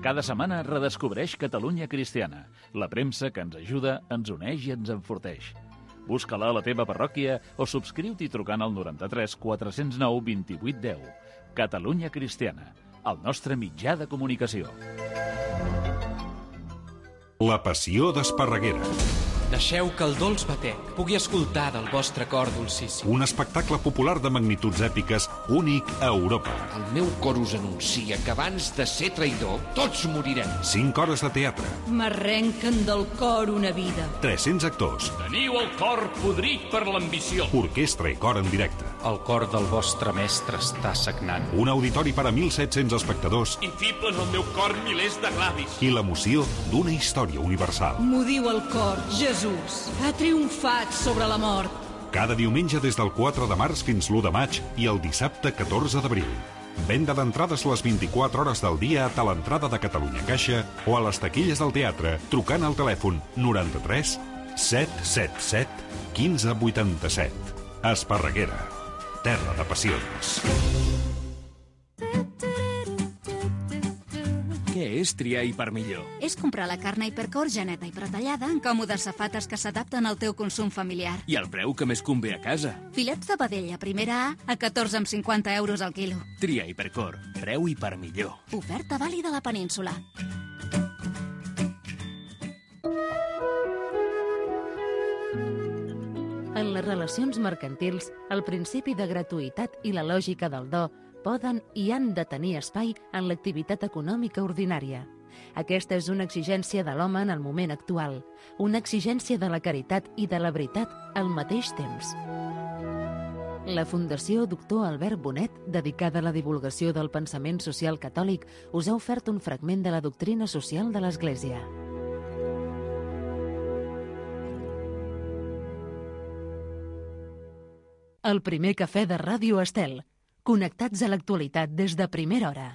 Cada setmana redescobreix Catalunya Cristiana, la premsa que ens ajuda, ens uneix i ens enforteix. Busca-la a la teva parròquia o subscriu-t'hi trucant al noranta-tres quatre zero nou vint vuit deu. Catalunya Cristiana, el nostre mitjà de comunicació. La passió d'Esparreguera. Deixeu que el dolç batec pugui escoltar del vostre cor dolcíssim. Un espectacle popular de magnituds èpiques únic a Europa. El meu cor us anuncia que abans de ser traïdor, tots morirem. Cinc hores de teatre. M'arrenquen del cor una vida. tres-cents actors. Teniu el cor podrit per l'ambició. Orquestra i cor en directe. El cor del vostre mestre està sagnant. Un auditori per a mil set-cents espectadors. Infiblen el meu cor milers de gladis. I l'emoció d'una història universal. M'ho diu el cor, Jesús. Ha triomfat sobre la mort. Cada diumenge des del quatre de març fins l'u de maig i el dissabte catorze d'abril. Venda d'entrades les vint-i-quatre hores del dia a Talentrada de Catalunya Caixa o a les taquilles del teatre trucant al telèfon noranta-tres set set set quinze vuitanta-set. Esparreguera, terra de passions. Què és triar Hipermillor? És comprar la carn Hipercor geneta i pretallada en còmodes safates que s'adapten al teu consum familiar. I el preu que més convé a casa. Filets de vedella primera A a catorze coma cinquanta euros al quilo. Tria Hipercor, preu Hipermillor. Oferta vàlida a la península. les relacions mercantils, el principi de gratuïtat i la lògica del do poden i han de tenir espai en l'activitat econòmica ordinària. Aquesta és una exigència de l'home en el moment actual, una exigència de la caritat i de la veritat al mateix temps. La Fundació Doctor Albert Bonet, dedicada a la divulgació del pensament social catòlic, us ha ofert un fragment de la doctrina social de l'Església. El primer cafè de Ràdio Estel. Connectats a l'actualitat des de primera hora.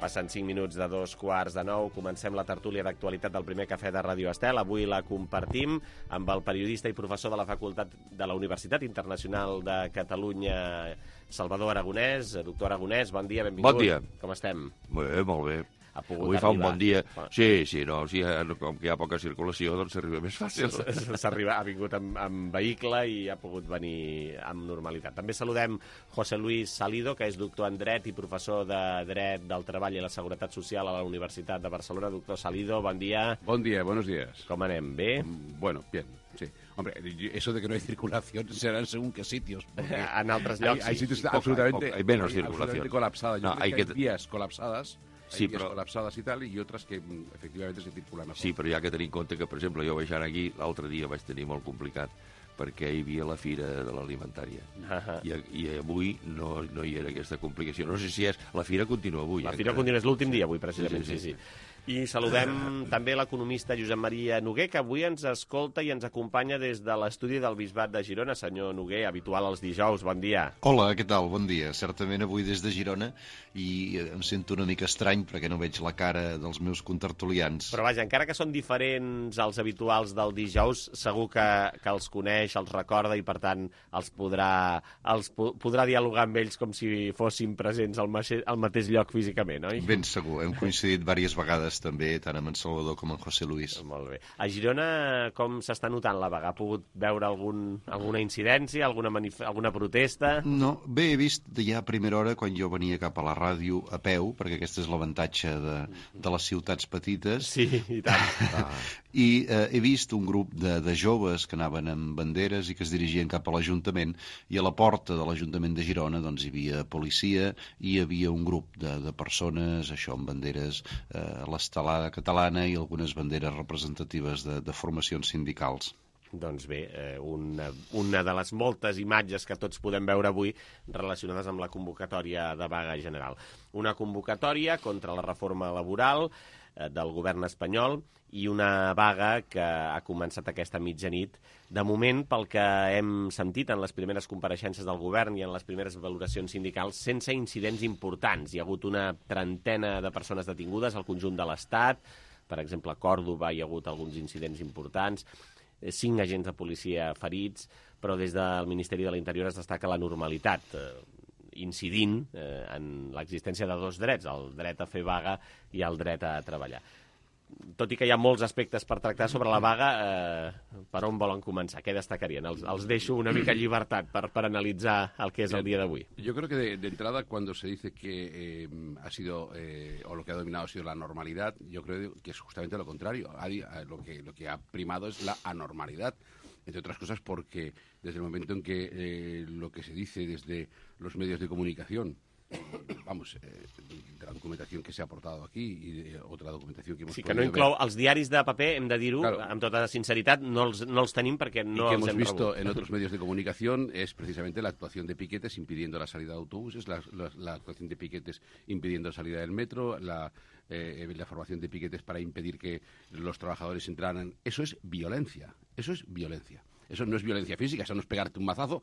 Passen cinc minuts de dos quarts de nou. Comencem la tertúlia d'actualitat del primer cafè de Ràdio Estel. Avui la compartim amb el periodista i professor de la Facultat de la Universitat Internacional de Catalunya, Salvador Aragonès. Doctor Aragonès, bon dia, benvingut. Bon dia. Com estem? Molt bé, molt bé. Ha pogut Avui arribar. fa un bon dia. Sí, sí, no, sí, com que hi ha poca circulació, doncs s'arriba més fàcil. S'arriba, ha vingut amb, amb vehicle i ha pogut venir amb normalitat. També saludem José Luis Salido, que és doctor en Dret i professor de Dret del Treball i la Seguretat Social a la Universitat de Barcelona. Doctor Salido, bon dia. Bon dia, buenos días. Com anem, bé? Bueno, bien, sí. Hombre, eso de que no hay circulación será en según qué sitios. En altres llocs hay, hay sitios sí, absolutamente, hay menos hay, circulación. absolutamente colapsadas. Yo No, creo hay que hay que... vías colapsadas. Sí, Hay vías però... colapsades i tal, i otras que efectivamente se circulan mejor. Sí, però hi ha que tenir en compte que, per exemple, jo baixant aquí, l'altre dia vaig tenir molt complicat, perquè hi havia la fira de l'alimentària. Uh-huh. I, I avui no, no hi era aquesta complicació. No sé si és... La fira continua avui. La fira encara. continua, és l'últim dia avui, precisament, sí, sí. Sí, sí, sí. sí. I saludem també l'economista Josep Maria Noguer, que avui ens escolta i ens acompanya des de l'estudi del Bisbat de Girona. Senyor Noguer, habitual els dijous, bon dia. Hola, què tal? Bon dia. Certament avui des de Girona, i em sento una mica estrany perquè no veig la cara dels meus contertulians. Però vaja, encara que són diferents els habituals del dijous, segur que, que els coneix, els recorda i per tant els podrà, els po podrà dialogar amb ells com si fossin presents al, al mateix lloc físicament, oi? Ben segur, hem coincidit diverses vegades també, tant amb en Salvador com en José Luis. Molt bé. A Girona com s'està notant la vaga? Ha pogut veure algun, alguna incidència, alguna, alguna protesta? No, bé, he vist ja a primera hora, quan jo venia cap a la ràdio a peu, perquè aquest és l'avantatge de, de les ciutats petites. Sí, i tant. Ah. I eh, he vist un grup de, de joves que anaven amb banderes i que es dirigien cap a l'Ajuntament, i a la porta de l'Ajuntament de Girona doncs hi havia policia i hi havia un grup de, de persones, això, amb banderes eh, a l'estelada catalana i algunes banderes representatives de, de formacions sindicals. Doncs bé, eh, una, una de les moltes imatges que tots podem veure avui relacionades amb la convocatòria de vaga general. Una convocatòria contra la reforma laboral eh, del govern espanyol i una vaga que ha començat aquesta mitjanit. De moment, pel que hem sentit en les primeres compareixences del govern i en les primeres valoracions sindicals, sense incidents importants. Hi ha hagut una trentena de persones detingudes al conjunt de l'Estat. Per exemple, a Còrdova hi ha hagut alguns incidents importants, cinc agents de policia ferits, però des del Ministeri de l'Interior es destaca la normalitat, eh, incidint eh, en l'existència de dos drets, el dret a fer vaga i el dret a treballar. Tot i que hi ha molts aspectes per tractar sobre la vaga, eh, per on volen començar? Què destacarien? Els, els deixo una mica llibertat per, per analitzar el que és el dia d'avui. Yo creo que de, de entrada, cuando se dice que eh, ha sido, eh, o lo que ha dominado ha sido la normalidad, yo creo que es justamente lo contrario. Ha, lo, que, lo que ha primado es la anormalidad, entre otras cosas porque desde el momento en que eh, lo que se dice desde los medios de comunicación vamos, eh, de la documentación que se ha aportado aquí y de otra documentación que hemos Sí, que no inclou els diaris de paper, hem de dir-ho, claro, amb tota sinceritat, no els, no els tenim perquè no y que els hemos hem visto rebut. en otros medios de comunicación es precisamente la actuación de piquetes impidiendo la salida de autobuses, la, la, la actuación de piquetes impidiendo la salida del metro, la, eh, la formación de piquetes para impedir que los trabajadores entraran. Eso es violencia, eso es violencia. Eso no es violencia física, eso no es pegarte un mazazo,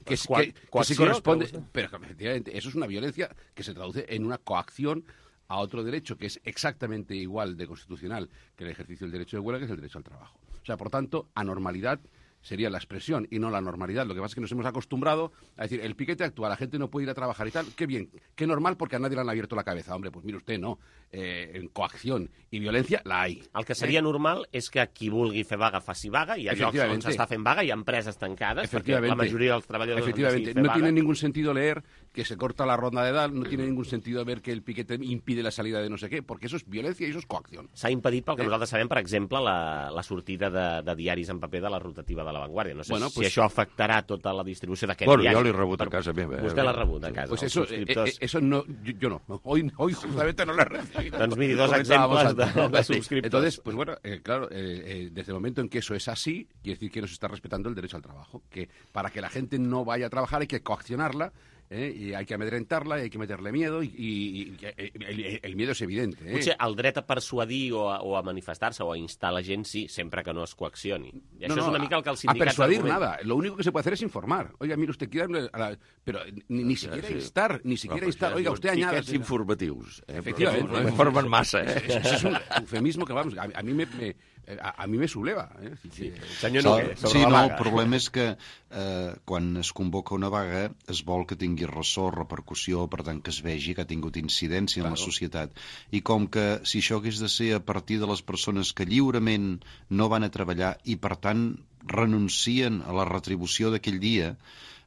que, es, que, que sí corresponde, pero efectivamente eso es una violencia que se traduce en una coacción a otro derecho que es exactamente igual de constitucional que el ejercicio del derecho de huelga, que es el derecho al trabajo. O sea, por tanto, anormalidad sería la expresión y no la normalidad. Lo que pasa es que nos hemos acostumbrado a decir, el piquete actúa, la gente no puede ir a trabajar y tal, qué bien, qué normal porque a nadie le han abierto la cabeza. Hombre, pues mire usted, no, eh, en coacción i violència la hay. El que seria eh? normal és que qui vulgui fer vaga faci vaga, hi ha llocs on s'està fent vaga, hi ha empreses tancades, perquè la majoria dels treballadors Efectivamente, no vaga. Tiene ningún sentido leer que se corta la ronda de edad, no tiene ningún sentido ver que el piquete impide la salida de no sé qué, porque eso es violencia y eso es coacción. S'ha impedit, pel que eh? nosaltres sabem, per exemple, la, la sortida de, de diaris en paper de la rotativa de La Vanguardia. No sé bueno, si pues, això afectarà tota la distribució d'aquest bueno, diari. Bueno, jo l'he rebut a casa meva. Eh? Vostè l'ha rebut a casa. Pues eso, eh, eso no, yo, yo no. Hoy, hoy justamente no l'he recibido. Doncs miri, dos exemples de, de suscriptors. Entonces, pues bueno, eh, claro, eh, eh, desde el momento en que eso es así, quiere decir que no se está respetando el derecho al trabajo, que para que la gente no vaya a trabajar hay que coaccionarla, Eh, i hay que amedrentarla, i hay que meterle miedo, i, i, i el, el miedo es evidente. Eh? Potser el dret a persuadir o a, o a manifestar-se o a instar la gent, sí, sempre que no es coaccioni. I això no, no, és una mica el que el sindicat... A persuadir nada, lo único que se puede hacer es informar. Oiga, mire, usted quiere... La... Pero ni, ni siquiera sí. instar, ni siquiera no, instar. Oiga, usted añada... Piquets informatius. Eh? Efectivamente. No informen massa. Eh? Eso es un eufemismo que, vamos, a, a mí me... me A, a mi me subleva. Eh? Sí. Senyor Noguer, sobre sí, la vaga. No, el problema és que eh, quan es convoca una vaga es vol que tingui ressò, repercussió, per tant que es vegi que ha tingut incidència claro. en la societat. I com que si això hagués de ser a partir de les persones que lliurement no van a treballar i per tant renuncien a la retribució d'aquell dia,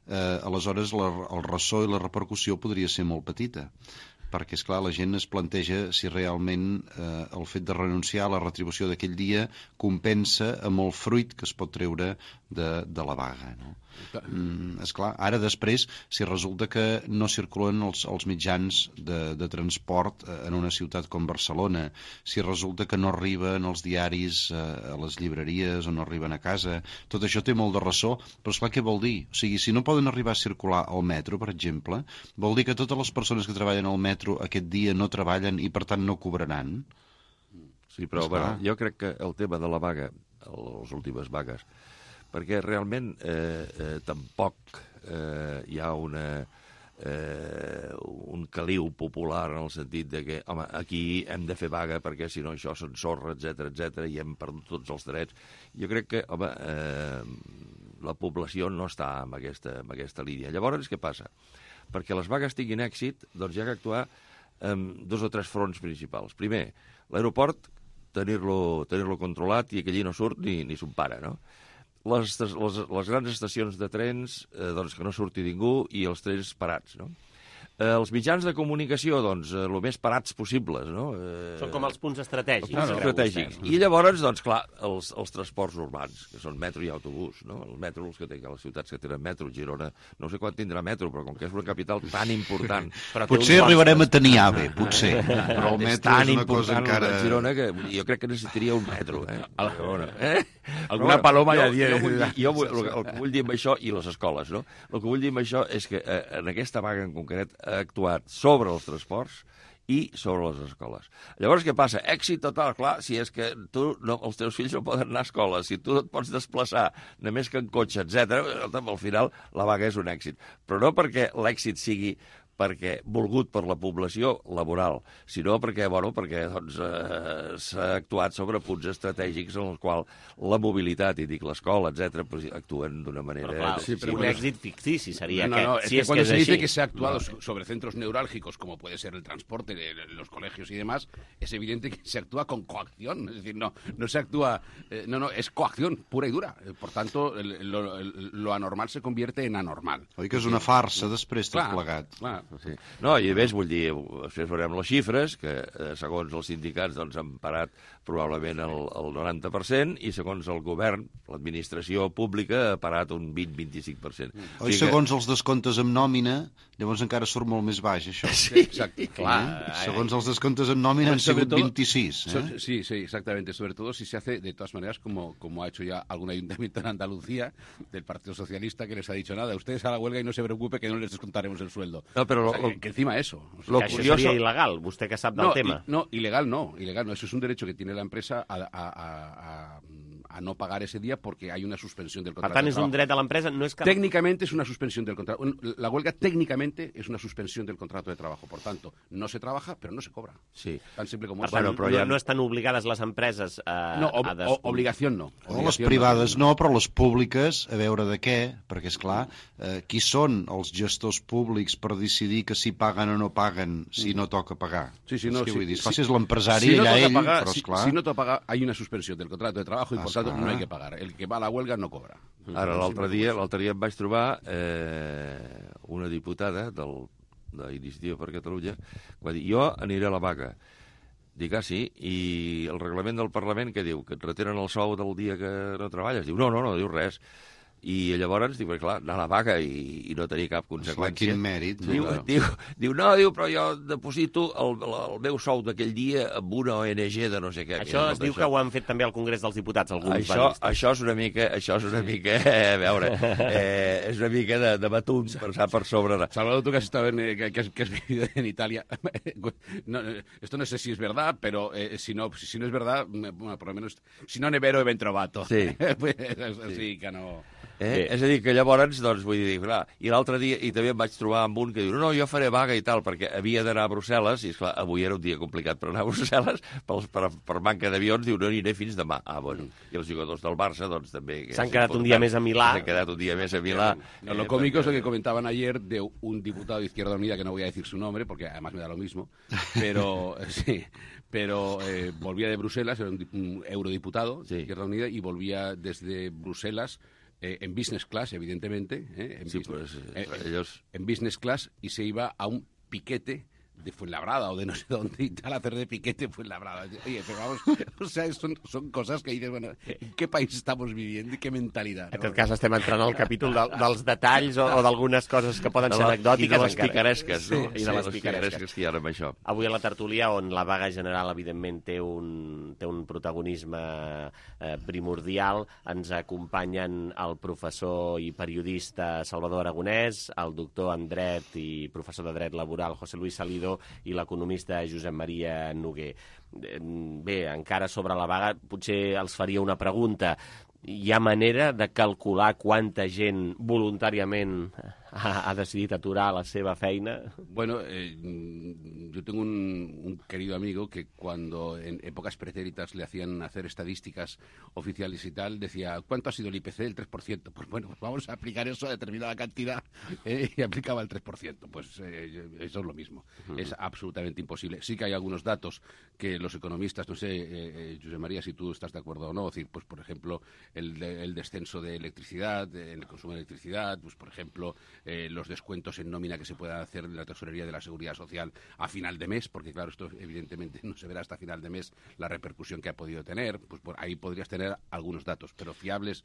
eh, aleshores la, el ressò i la repercussió podria ser molt petita. Perquè, esclar, la gent es planteja si realment eh, el fet de renunciar a la retribució d'aquell dia compensa amb el fruit que es pot treure de, de la vaga, no? Mm, esclar, ara després, si resulta que no circulen els, els mitjans de, de transport eh, en una ciutat com Barcelona, si resulta que no arriben els diaris eh, a les llibreries o no arriben a casa, tot això té molt de ressò, però esclar, què vol dir? O sigui, si no poden arribar a circular al metro, per exemple, vol dir que totes les persones que treballen al metro aquest dia no treballen i per tant no cobraran? Sí, però bueno, jo crec que el tema de la vaga, les últimes vagues, perquè realment eh, eh, tampoc eh, hi ha una, eh, un caliu popular en el sentit de que, home, aquí hem de fer vaga perquè si no això s'ensorra, etcètera, etcètera, i hem perdut tots els drets. Jo crec que, home, eh, la població no està en aquesta, en aquesta línia. Llavors, què passa? Perquè les vagues tinguin èxit, doncs hi ha que actuar amb dos o tres fronts principals. Primer, l'aeroport, tenir-lo tenir-lo controlat i que allí no surt ni, ni son pare, no? Les, les, les grans estacions de trens, eh, doncs que no surti ningú i els trens parats, no? Eh, els mitjans de comunicació, doncs, eh, el més parats possibles, no? Eh, són com els punts estratègics. Els punts estratègics. I llavors, doncs, clar, els, els transports urbans, que són metro i autobús, no? El metro, els que tenen, les ciutats que tenen metro, Girona, no sé quan tindrà metro, però com que és una capital tan important... potser arribarem a tenir AVE, potser. Però el metro és, tan és una cosa encara... Girona que jo crec que necessitaria un metro, eh? A la Girona, eh? Alguna paloma ja diria. Jo, jo, jo vull, el, el que vull dir amb això, i les escoles, no? El que vull dir amb això és que eh, en aquesta vaga en concret ha actuat sobre els transports i sobre les escoles. Llavors, què passa? Èxit total, clar, si és que tu no, els teus fills no poden anar a escola, si tu et pots desplaçar només que en cotxe, etcètera, al final la vaga és un èxit. Però no perquè l'èxit sigui perquè volgut per la població laboral, sinó perquè, bueno, perquè doncs, eh, s'ha actuat sobre punts estratègics en els quals la mobilitat, i dic l'escola, etcétera, pues, actúen d'una manera... Però, clar, sí, però un èxit fictici seria no, aquest. No, es si que es cuando que se es dice així. que se ha actuado no. sobre centros neurálgicos, como puede ser el transporte, de los colegios y demás, es evidente que se actúa con coacción. Es decir, no, no se actúa... Eh, no, no, es coacción pura y dura. Por tanto, el, lo, el, lo anormal se convierte en anormal. Oi que és una farsa després tot plegat? Clar. Sí. No, i a més, vull dir, després veurem les xifres, que segons els sindicats doncs, han parat probablement el, el noranta per cent, i segons el govern, l'administració pública, ha parat un vint a vint-i-cinc per cent. O, o i segons que... els descomptes amb nòmina, llavors encara surt molt més baix, això. Sí, exacte. Clar. Eh? Segons els descomptes amb nòmina han sigut todo, vint-i-sis. ¿eh? So, sí, sí, exactamente. Sobre todo si se hace, de todas maneras, como, como ha hecho ya algún ayuntamiento en Andalucía, del Partido Socialista, que les ha dicho nada, ustedes a la huelga y no se preocupe que no les descontaremos el sueldo. No, pero o sea, lo, que, que encima eso. O sea, lo que curioso... Això seria il·legal, vostè que sap del no, tema. I, no, ilegal no, ilegal no. Eso es un derecho que tiene la empresa a, a, a, a, a no pagar ese día porque hay una suspensión del contrato. Per tant, és un dret a l'empresa, no és que... Técnicamente es una suspensión del contrato. La huelga técnicamente es una suspensión del contrato de trabajo. Por tanto, no se trabaja, pero no se cobra. Sí. Tan simple como per tant, eso. Però ja... no, no estan obligades les empreses a... No, ob a des... obligación no. No, les privades no, però les públiques, a veure de què, perquè, és clar, eh, qui són els gestors públics per decidir que si paguen o no paguen si no toca pagar? Sí, sí, no. És que sí, vull dir, sí, si és l'empresari, si no allà ell, pagar, però si, esclar... Si no toca pagar, hay una suspensión del contrato de trabajo y, por tanto, esclar. no hay que pagar. El que va a la huelga no cobra. Ara, l'altre dia, l'altre dia em vaig trobar eh, una diputada del, d'Iniciativa per Catalunya que va dir, jo aniré a la vaga. Dic, ah, sí? I el reglament del Parlament què diu? Que et retenen el sou del dia que no treballes? Diu, no, no, no, diu res. I llavors, diu, clar, anar a la vaga i, i no tenir cap conseqüència. Quin mèrit. Diu, no, no. Diu, diu, no, diu, però jo deposito el, el meu sou d'aquell dia amb una O N G de no sé què. Això es diu això. Que ho han fet també al Congrés dels Diputats, alguns això, això és una mica, això és una mica, eh, a veure, eh, és una mica de, de batuns passar per sobre. Salvador, tú que has estado en, que, que, has, que has vivido en Italia, no, esto no sé si es verdad, pero eh, si, no, si no es verdad, bueno, por lo menos, si no nevero he ben trovato. Sí. Pues, sí. sí, que no... Eh? És a dir, que llavors, doncs, vull dir, clar, i l'altre dia, i també em vaig trobar amb un que diu, no, no, jo faré vaga i tal, perquè havia d'anar a Brussel·les, i esclar, avui era un dia complicat per anar a Brussel·les, per, per, per manca d'avions, diu, no aniré fins demà. Ah, bueno, i els jugadors del Barça, doncs, també... S'han quedat un dia més a Milà. S'han quedat un dia més a Milà. No, lo cómico es lo que comentaban ayer de un diputado de Izquierda Unida, que no voy a decir su nombre, porque además me da lo mismo, pero, sí, pero eh, volvía de Bruselas, era un, un eurodiputado de Izquierda Unida, y volvía desde Bruselas Eh, en business class, evidentemente, eh, en, sí, business, pues, eh, ellos... en business class, y se iba a un piquete de Fuenlabrada o de no sé dónde y tal, hacer de piquete Fuenlabrada. Oye, pero vamos, o sea, son, son cosas que dices, bueno, ¿en qué país estamos viviendo y qué mentalidad? En tot cas, estem entrant al capítol de, dels detalls o, o d'algunes coses que poden ser anecdòtiques. I de les picaresques, no? Sí, i de les picaresques que hi ha amb això. Avui a la tertúlia, on la vaga general, evidentment, té un, té un protagonisme eh, primordial, ens acompanyen el professor i periodista Salvador Aragonès, el doctor en dret i professor de dret laboral José Luis Salido i l'economista Josep Maria Noguer. Bé, encara sobre la vaga, potser els faria una pregunta. Hi ha manera de calcular quanta gent voluntàriament ha, ha decidit aturar la seva feina? Bueno, eh, yo tengo un, un querido amigo que cuando en épocas pretéritas le hacían hacer estadísticas oficiales y tal, decía, ¿cuánto ha sido el I P C? El tres por ciento. Pues bueno, pues vamos a aplicar eso a determinada cantidad eh, y aplicaba el tres por ciento. Pues eh, eso es lo mismo. Uh-huh. Es absolutamente imposible. Sí que hay algunos datos que los economistas, no sé, eh, eh, José María, si tú estás de acuerdo o no, es decir, pues por ejemplo, el, de, el descenso de electricidad, de, en el consumo de electricidad, pues por ejemplo, eh, los descuentos en nómina que se puedan hacer en la tesorería de la Seguridad Social a final de mes, porque claro, esto evidentemente no se verá hasta final de mes la repercusión que ha podido tener, pues por ahí podrías tener algunos datos, pero fiables.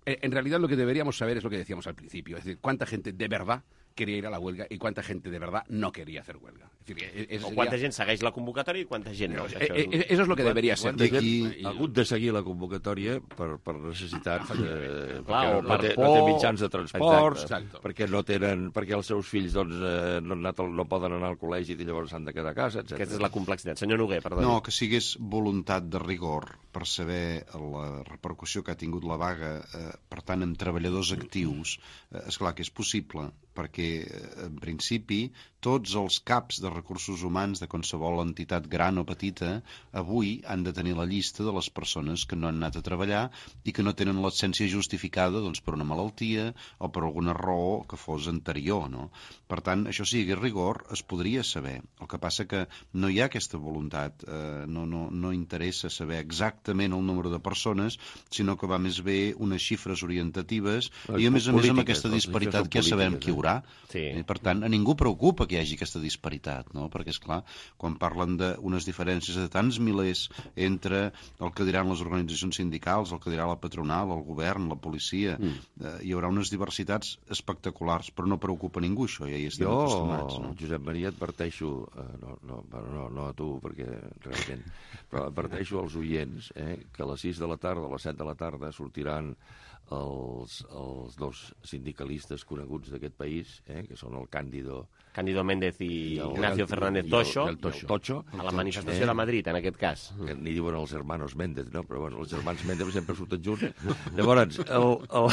Eh, en realidad lo que deberíamos saber es lo que decíamos al principio, es decir, cuánta gente de verdad quería ir a la huelga i quanta gent de verdad no quería hacer huelga. Es decir, eso o quanta sería... gent segueix la convocatòria i quanta gent no. Eh, eh, eso es lo que debería ser. Quanta gent ha hagut de seguir la convocatòria per, per necessitats, eh, Clar, perquè no, té, no té mitjans de transports, exacte, perquè no tenen, perquè els seus fills doncs, eh, no, no poden anar al col·legi i llavors s'han de quedar a casa, etcètera. Aquesta és la complexitat. Senyor Noguer, perdó. No, que sigués voluntat de rigor per saber la repercussió que ha tingut la vaga, eh, per tant, en treballadors actius, eh, esclar que és possible, perquè, en principi, tots els caps de recursos humans de qualsevol entitat gran o petita avui han de tenir la llista de les persones que no han anat a treballar i que no tenen l'absència justificada doncs, per una malaltia o per alguna raó que fos anterior. No? Per tant, això sigui rigor, es podria saber. El que passa que no hi ha aquesta voluntat, eh, no, no, no interessa saber exactament el número de persones, sinó que va més bé unes xifres orientatives i, a més a més, amb aquesta disparitat que ja sabem qui haurà. Sí. Per tant, a ningú preocupa que hi hagi aquesta disparitat, no? Perquè, és clar, quan parlen d'unes diferències de tants milers entre el que diran les organitzacions sindicals, el que dirà la patronal, el govern, la policia, mm. eh, hi haurà unes diversitats espectaculars, però no preocupa ningú, això, ja hi estem jo, acostumats. No? Josep Maria, adverteixo, eh, no, no, no, no a tu, perquè realment, però adverteixo als oients eh, que a les sis de la tarda, a les set de la tarda, sortiran els, els dos sindicalistes coneguts d'aquest país, eh, que són el Cándido... Cándido Méndez i, i Ignacio el, Fernández Tocho, el, el Tocho, Tocho, a la manifestació eh, de Madrid, en aquest cas. Que n'hi diuen els hermanos Méndez, no? Però bueno, els germans Méndez sempre surten junts. Llavors, el, el,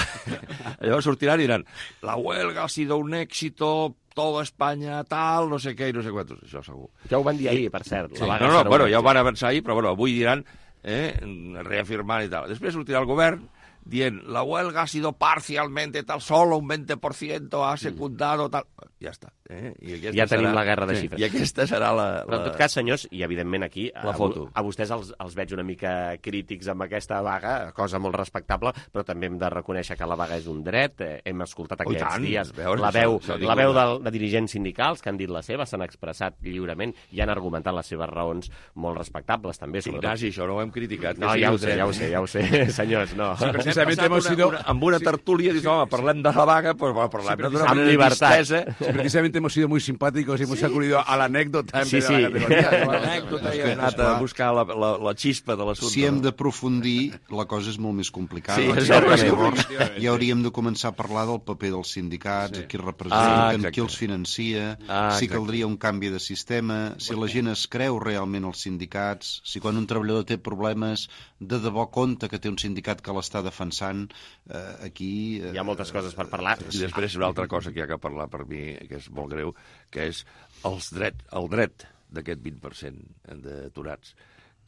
llavors sortiran i diran la huelga ha sido un éxito, toda Espanya, tal, no sé què i no sé quantos. Això segur. Ja ho van dir ahir, per cert. Sí, no, no, bueno, ja ho van avançar ahir, però bueno, avui diran, eh, reafirmant i tal. Després sortirà el govern dient, la huelga ha sido parcialmente tal, solo un veinte por ciento ha secundado tal... Ja està. Eh? I ja tenim serà... la guerra de xifres. I aquesta serà la... la... Però en tot cas, senyors, i evidentment aquí la foto. A, a vostès els, els veig una mica crítics amb aquesta vaga, cosa molt respectable, però també hem de reconèixer que la vaga és un dret. Eh, hem escoltat aquests oh, dies veure, la veu, això, això la veu de, de dirigents sindicals que han dit la seva, s'han expressat lliurement i han argumentat les seves raons molt respectables també. Ignasi, això no ho hem criticat. No, ja ho sé, ja ho sé, ja ho sé, senyors, no. Sí, precisament hemos sido... Una, amb una tertúlia, sí, dius, home, parlem de la vaga, pues, bueno, parlem sí, d'una manera distesa. Sí, precisamente hemos sido muy simpáticos y hemos sí. acudido a la anécdota en sí, vez sí. de la categoría. No, l'anècdota i hem anat a buscar la, la, la xispa de l'assumpte. Si hem d'aprofundir, la cosa és molt més complicada. Sí, llavors ja hauríem de començar a parlar del paper dels sindicats, sí. qui representen, ah, qui els financia, ah, si caldria un canvi de sistema, si la gent es creu realment els sindicats, si quan un treballador té problemes de debò compte que té un sindicat que l'està defensant, eh, aquí... Eh, hi ha moltes coses per parlar. I després una altra cosa que hi ha que parlar per mi, que és molt greu, que és els dret, el dret d'aquest vint per cent d'aturats,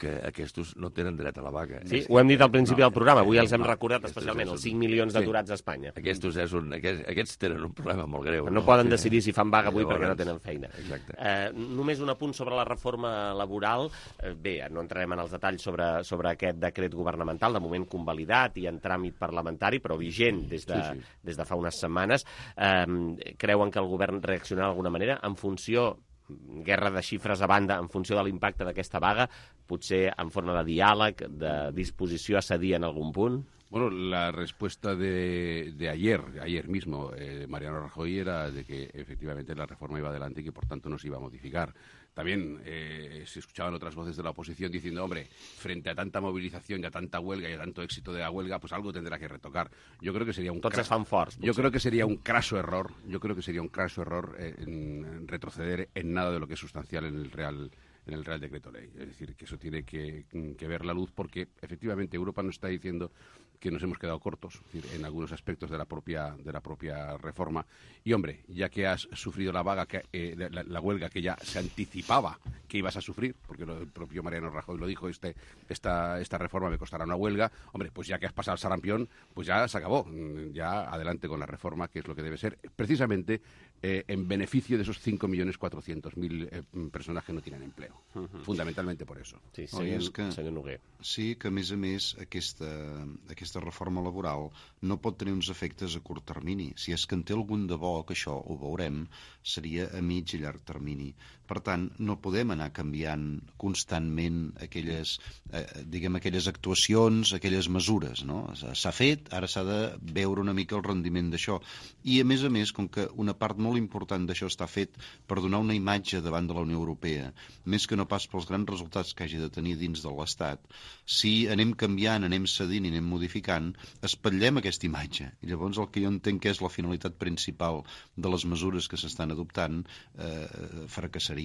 que aquests no tenen dret a la vaga. Sí, ho hem dit al principi no, del programa, avui els hem recordat especialment, els cinc milions d'aturats sí, a Espanya. Aquests, és un, aquests, aquests tenen un problema molt greu. No, no poden sí. decidir si fan vaga avui llavors, perquè no tenen feina. Exacte. Eh, només un apunt sobre la reforma laboral. Eh, bé, no entrarem en els detalls sobre, sobre aquest decret governamental, de moment convalidat i en tràmit parlamentari, però vigent des de, sí, sí. des de fa unes setmanes. Eh, creuen que el govern reaccionarà d'alguna manera en funció guerra de xifres a banda, en funció de l'impacte d'aquesta vaga, potser en forma de diàleg, de disposició a cedir en algun punt? Bueno, la respuesta de, de ayer, ayer mismo, eh, Mariano Rajoy era de que efectivamente la reforma iba adelante y que por tanto no se iba a modificar. También eh, se escuchaban otras voces de la oposición diciendo, hombre, frente a tanta movilización y a tanta huelga y a tanto éxito de la huelga, pues algo tendrá que retocar. Yo creo que sería un Tots es fan forts, yo creo que sería un craso error, yo creo que sería un craso error eh, en, en retroceder en nada de lo que es sustancial en el Real en el Real Decreto Ley. Es decir, que eso tiene que, que ver la luz porque efectivamente Europa nos está diciendo que nos hemos quedado cortos, es decir, en algunos aspectos de la propia de la propia reforma. Y, hombre, ya que has sufrido la vaga, que, eh, la, la huelga que ya se anticipaba que ibas a sufrir, porque lo, el propio Mariano Rajoy lo dijo, este, esta, esta reforma me costará una huelga, hombre, pues ya que has pasado el sarampión, pues ya se acabó. Ya adelante con la reforma, que es lo que debe ser, precisamente eh, en beneficio de esos cinco millones cuatrocientos mil eh, personas que no tienen empleo. Uh -huh. Fundamentalment per això. Sí, senyor, oh, que, senyor Noguer. Sí, que a més a més aquesta, aquesta reforma laboral no pot tenir uns efectes a curt termini. Si és que en té algun de bo, que això ho veurem, seria a mig i llarg termini. Per tant, no podem anar canviant constantment aquelles, eh, diguem, aquelles actuacions, aquelles mesures, no? S'ha fet, ara s'ha de veure una mica el rendiment d'això. I, a més a més, com que una part molt important d'això està fet per donar una imatge davant de la Unió Europea, més que no pas pels grans resultats que hagi de tenir dins de l'Estat, si anem canviant, anem cedint i anem modificant, espatllem aquesta imatge. I llavors el que jo entenc que és la finalitat principal de les mesures que s'estan adoptant eh, fracassaria.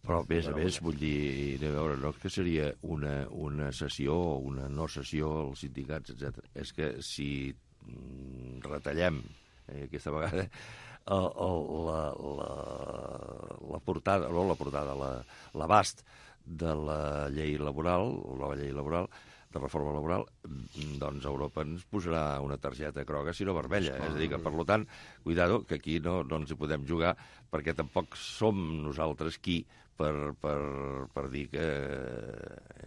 Però, a més a més, vull dir, de veure, no que seria una, una sessió o una no sessió als sindicats, etcètera. És que si retallem eh, aquesta vegada el, el, la, la, la portada, no la portada, l'abast de la llei laboral, la llei laboral, de reforma laboral, doncs Europa ens posarà una targeta groga, si no vermella. És a dir, que, per tant, cuidado, que aquí no, no ens hi podem jugar, perquè tampoc som nosaltres qui per, per, per dir que,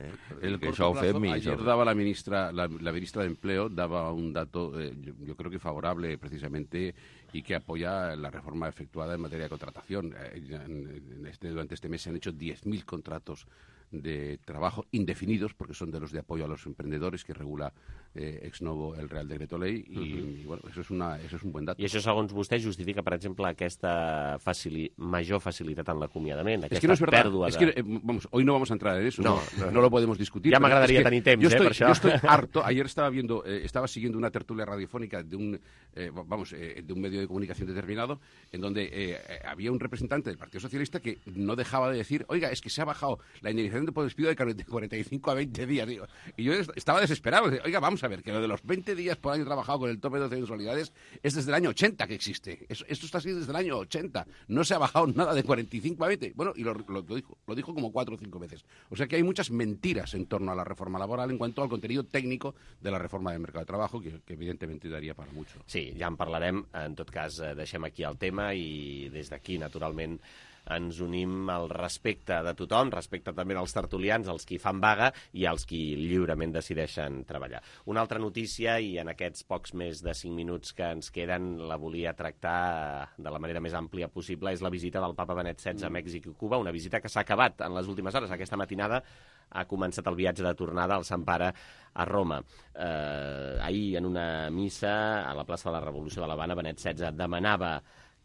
Eh? El que corto això ho fem plazo, i ayer això... daba la ministra, la, la ministra de Empleo daba un dato, eh, yo, yo creo que favorable precisamente y que apoya la reforma efectuada en materia de contratación. Eh, en, en este, durante este mes se han hecho diez mil contratos de trabajo indefinidos, porque son de los de apoyo a los emprendedores que regula eh, ex novo el Real Decreto Ley, i, uh-huh. i bueno, eso es, una, eso es un buen dato. I això, segons vostè, justifica, per exemple, aquesta facili... major facilitat en l'acomiadament, aquesta es que no es verdad. pèrdua de... Es que, eh, vamos, hoy no vamos a entrar en eso, no, no, no lo podemos discutir. Ya me agradaría es que tener temps, yo eh, estoy, per això. Yo estoy harto. Ayer estaba viendo, eh, estaba siguiendo una tertulia radiofónica de un, eh, vamos, eh, de un medio de comunicación determinado, en donde eh, había un representante del Partido Socialista que no dejaba de decir, oiga, es que se ha bajado la indemnización por despido de cuarenta y cinco a veinte días. Digo. Y yo estaba desesperado. Oiga, vamos a ver, que lo de los veinte días por año trabajado con el tope de doce mensualidades es desde el año ochenta que existe. Eso, esto está así desde el año ochenta. No se ha bajado nada de cuarenta y cinco a veinte. Bueno, y lo, lo, lo, dijo, lo dijo como cuatro o cinco veces. O sea que hay muchas mentiras en torno a la reforma laboral en cuanto al contenido técnico de la reforma del mercado de trabajo, que, que evidentemente daría para mucho. Sí, ja en parlarem. En tot cas, deixem aquí el tema i des d'aquí, naturalment, ens unim al respecte de tothom, respecte també als tertulians, als qui fan vaga i als qui lliurement decideixen treballar. Una altra notícia, i en aquests pocs més de cinc minuts que ens queden la volia tractar de la manera més àmplia possible, és la visita del papa Benet setze a Mèxic i Cuba, una visita que s'ha acabat en les últimes hores. Aquesta matinada ha començat el viatge de tornada al Sant Pare a Roma. Eh, ahir, en una missa a la plaça de la Revolució de l'Havana, Benet setze demanava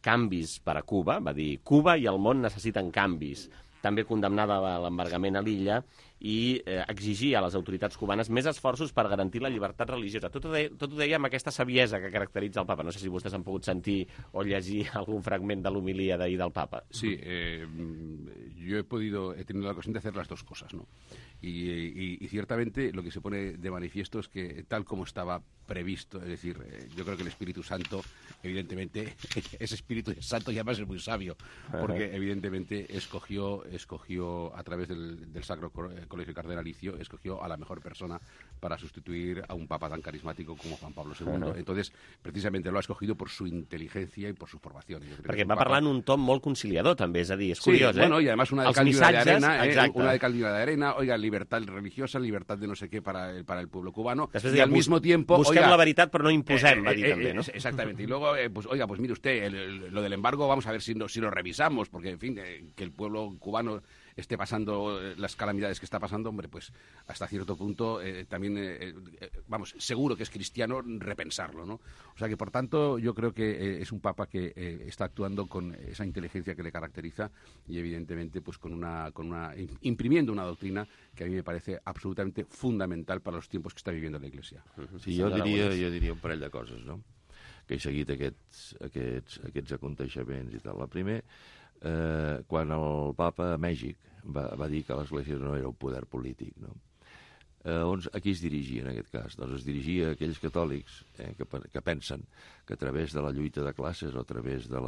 canvis per a Cuba, va dir Cuba i el món necessiten canvis. També condemnava l'embargament a l'illa i eh, exigia a les autoritats cubanes més esforços per garantir la llibertat religiosa. Tot ho, deia, tot ho deia amb aquesta saviesa que caracteritza el papa. No sé si vostès han pogut sentir o llegir algun fragment de l'homilia d'ahir del papa. Sí, eh, yo he podido, he tenido la ocasión de hacer las dos cosas, ¿no? Y, y, y ciertamente lo que se pone de manifiesto es que tal como estaba previsto, es decir, eh, yo creo que el Espíritu Santo, evidentemente, ese Espíritu Santo ya además es muy sabio, porque evidentemente escogió, escogió a través del, del Sacro Colegio Cardenalicio, escogió a la mejor persona para sustituir a un papa tan carismático como Juan Pablo segundo. Uh-huh. Entonces, precisamente lo ha escogido por su inteligencia y por su formación. Yo creo Perquè que va papa... parlar en un tom molt conciliador, també, és a dir, és sí, curiós, bueno, eh? y además una de Els cal y una de missatges, arena, eh, exacte. una de cal y una de arena, oiga, libertad religiosa, libertad de no sé qué para el, para el pueblo cubano. Després y al mismo tiempo, busquem oiga, la veritat, però no imposem, eh, va dir eh, també, no? Eh, exactamente. Y luego, eh, pues, oiga, pues mire usted, el, el, lo del embargo, vamos a ver si, no, si lo revisamos, porque, en fin, eh, que el pueblo cubano esté pasando eh, las calamidades que está pasando, hombre, pues hasta cierto punto eh, también, eh, eh, vamos, seguro que es cristiano repensarlo, ¿no? O sea que, por tanto, yo creo que eh, es un papa que eh, está actuando con esa inteligencia que le caracteriza y, evidentemente, pues con una, con una imprimiendo una doctrina que a mí me parece absolutamente fundamental para los tiempos que está viviendo la Iglesia. Sí, jo diria, jo diria un parell de coses, no? Que he seguit aquests, aquests, aquests aconteixements i tal. La primer, eh, quan el papa a Mèxic va, va dir que l'Església no era un poder polític, no? Eh, on, a qui es dirigia en aquest cas? Doncs es dirigia a aquells catòlics eh, que, que pensen que a través de la lluita de classes o a través de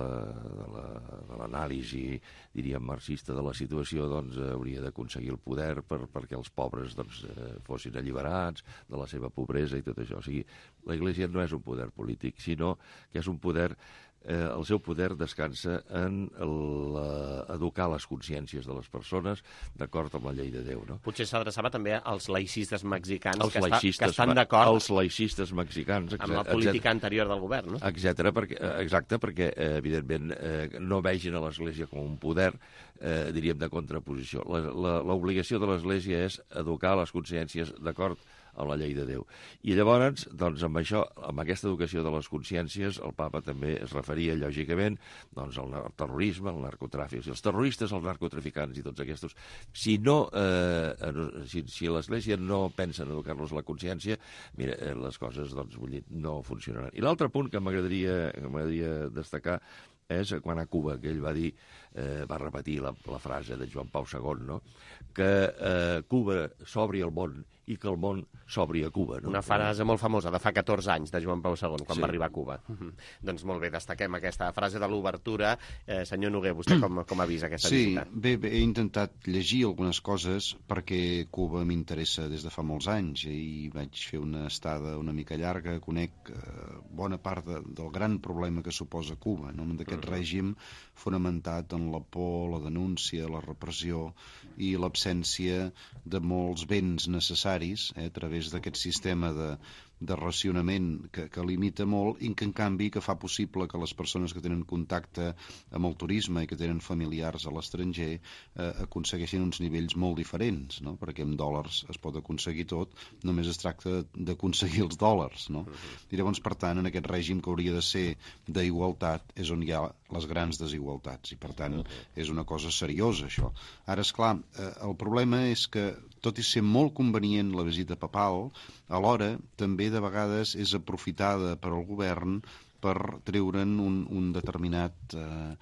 l'anàlisi, la, diríem, marxista de la situació, doncs hauria d'aconseguir el poder per, perquè els pobres doncs, eh, fossin alliberats de la seva pobresa i tot això. O sigui, la Iglésia no és un poder polític, sinó que és un poder Eh, el seu poder descansa en el, uh, educar les consciències de les persones d'acord amb la llei de Déu, no? Potser s'adreçava també als laïcistes mexicans els que, laïcistes, està, que estan d'acord els laïcistes mexicans, amb la política anterior del govern, no? Etcètera, perquè, exacte, perquè eh, evidentment eh, no vegin a l'Església com un poder, eh, diríem, de contraposició. L'obligació de l'Església és educar les consciències d'acord amb la llei de Déu. I llavors, doncs, amb això, amb aquesta educació de les consciències, el papa també es referia, lògicament, doncs, al terrorisme, al narcotràfic. Si els terroristes, els narcotraficants i tots aquests, si no, eh, si, si l'Església no pensa en educar-los la consciència, mira, eh, les coses, doncs, vull dir, no funcionaran. I l'altre punt que m'agradaria destacar és quan a Cuba, que ell va dir, eh, va repetir la, la frase de Joan Pau segon, no? Que eh, Cuba s'obri al món i que el món s'obri a Cuba. No? Una frase molt famosa, de fa catorze anys, de Joan Pau segon, quan sí. va arribar a Cuba. Mm-hmm. Doncs molt bé, destaquem aquesta frase de l'obertura. Eh, senyor Noguer, vostè com, com ha vist aquesta sí, visita? Sí, bé, bé, he intentat llegir algunes coses perquè Cuba m'interessa des de fa molts anys i vaig fer una estada una mica llarga, conec eh, bona part de, del gran problema que suposa Cuba, no? D'aquest uh-huh. règim fonamentat en són la por, la denúncia, la repressió i l'absència de molts béns necessaris eh, a través d'aquest sistema de, de racionament que, que limita molt i que en canvi que fa possible que les persones que tenen contacte amb el turisme i que tenen familiars a l'estranger eh, aconsegueixin uns nivells molt diferents, no? Perquè amb dòlars es pot aconseguir tot, només es tracta d'aconseguir els dòlars, no? I llavors, per tant, en aquest règim que hauria de ser d'igualtat és on hi ha les grans desigualtats i, per tant, és una cosa seriosa, això. Ara, esclar, eh, el problema és que, tot i ser molt convenient la visita papal, alhora també de vegades és aprofitada per al govern per treure'n un, un determinat eh,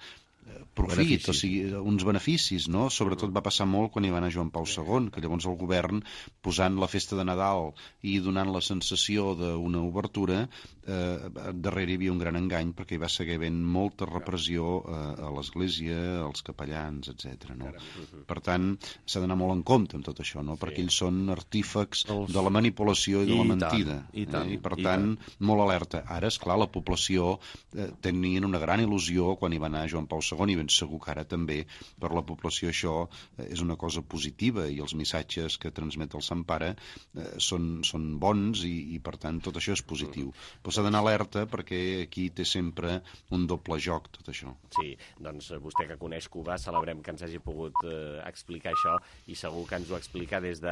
profit, benefici. O sigui, uns beneficis, no? Sobretot va passar molt quan hi va anar Joan Pau segon, que llavors el govern, posant la festa de Nadal i donant la sensació d'una obertura, eh, darrere hi havia un gran engany perquè hi va seguir havent molta repressió eh, a l'Església, als capellans, etcètera. No? Per tant, s'ha d'anar molt en compte amb tot això, no? Perquè ells són artífecs de la manipulació i de la mentida. I, tant, eh? I per i tant, tant, molt alerta. Ara, esclar, la població eh, tenien una gran il·lusió quan hi va anar Joan Pau segon, i ben segur que ara també per la població això és una cosa positiva i els missatges que transmet el Sant Pare eh, són, són bons i, i per tant tot això és positiu. Però s'ha d'anar alerta perquè aquí té sempre un doble joc tot això. Sí, doncs vostè que coneix Cuba celebrem que ens hagi pogut eh, explicar això i segur que ens ho explica des de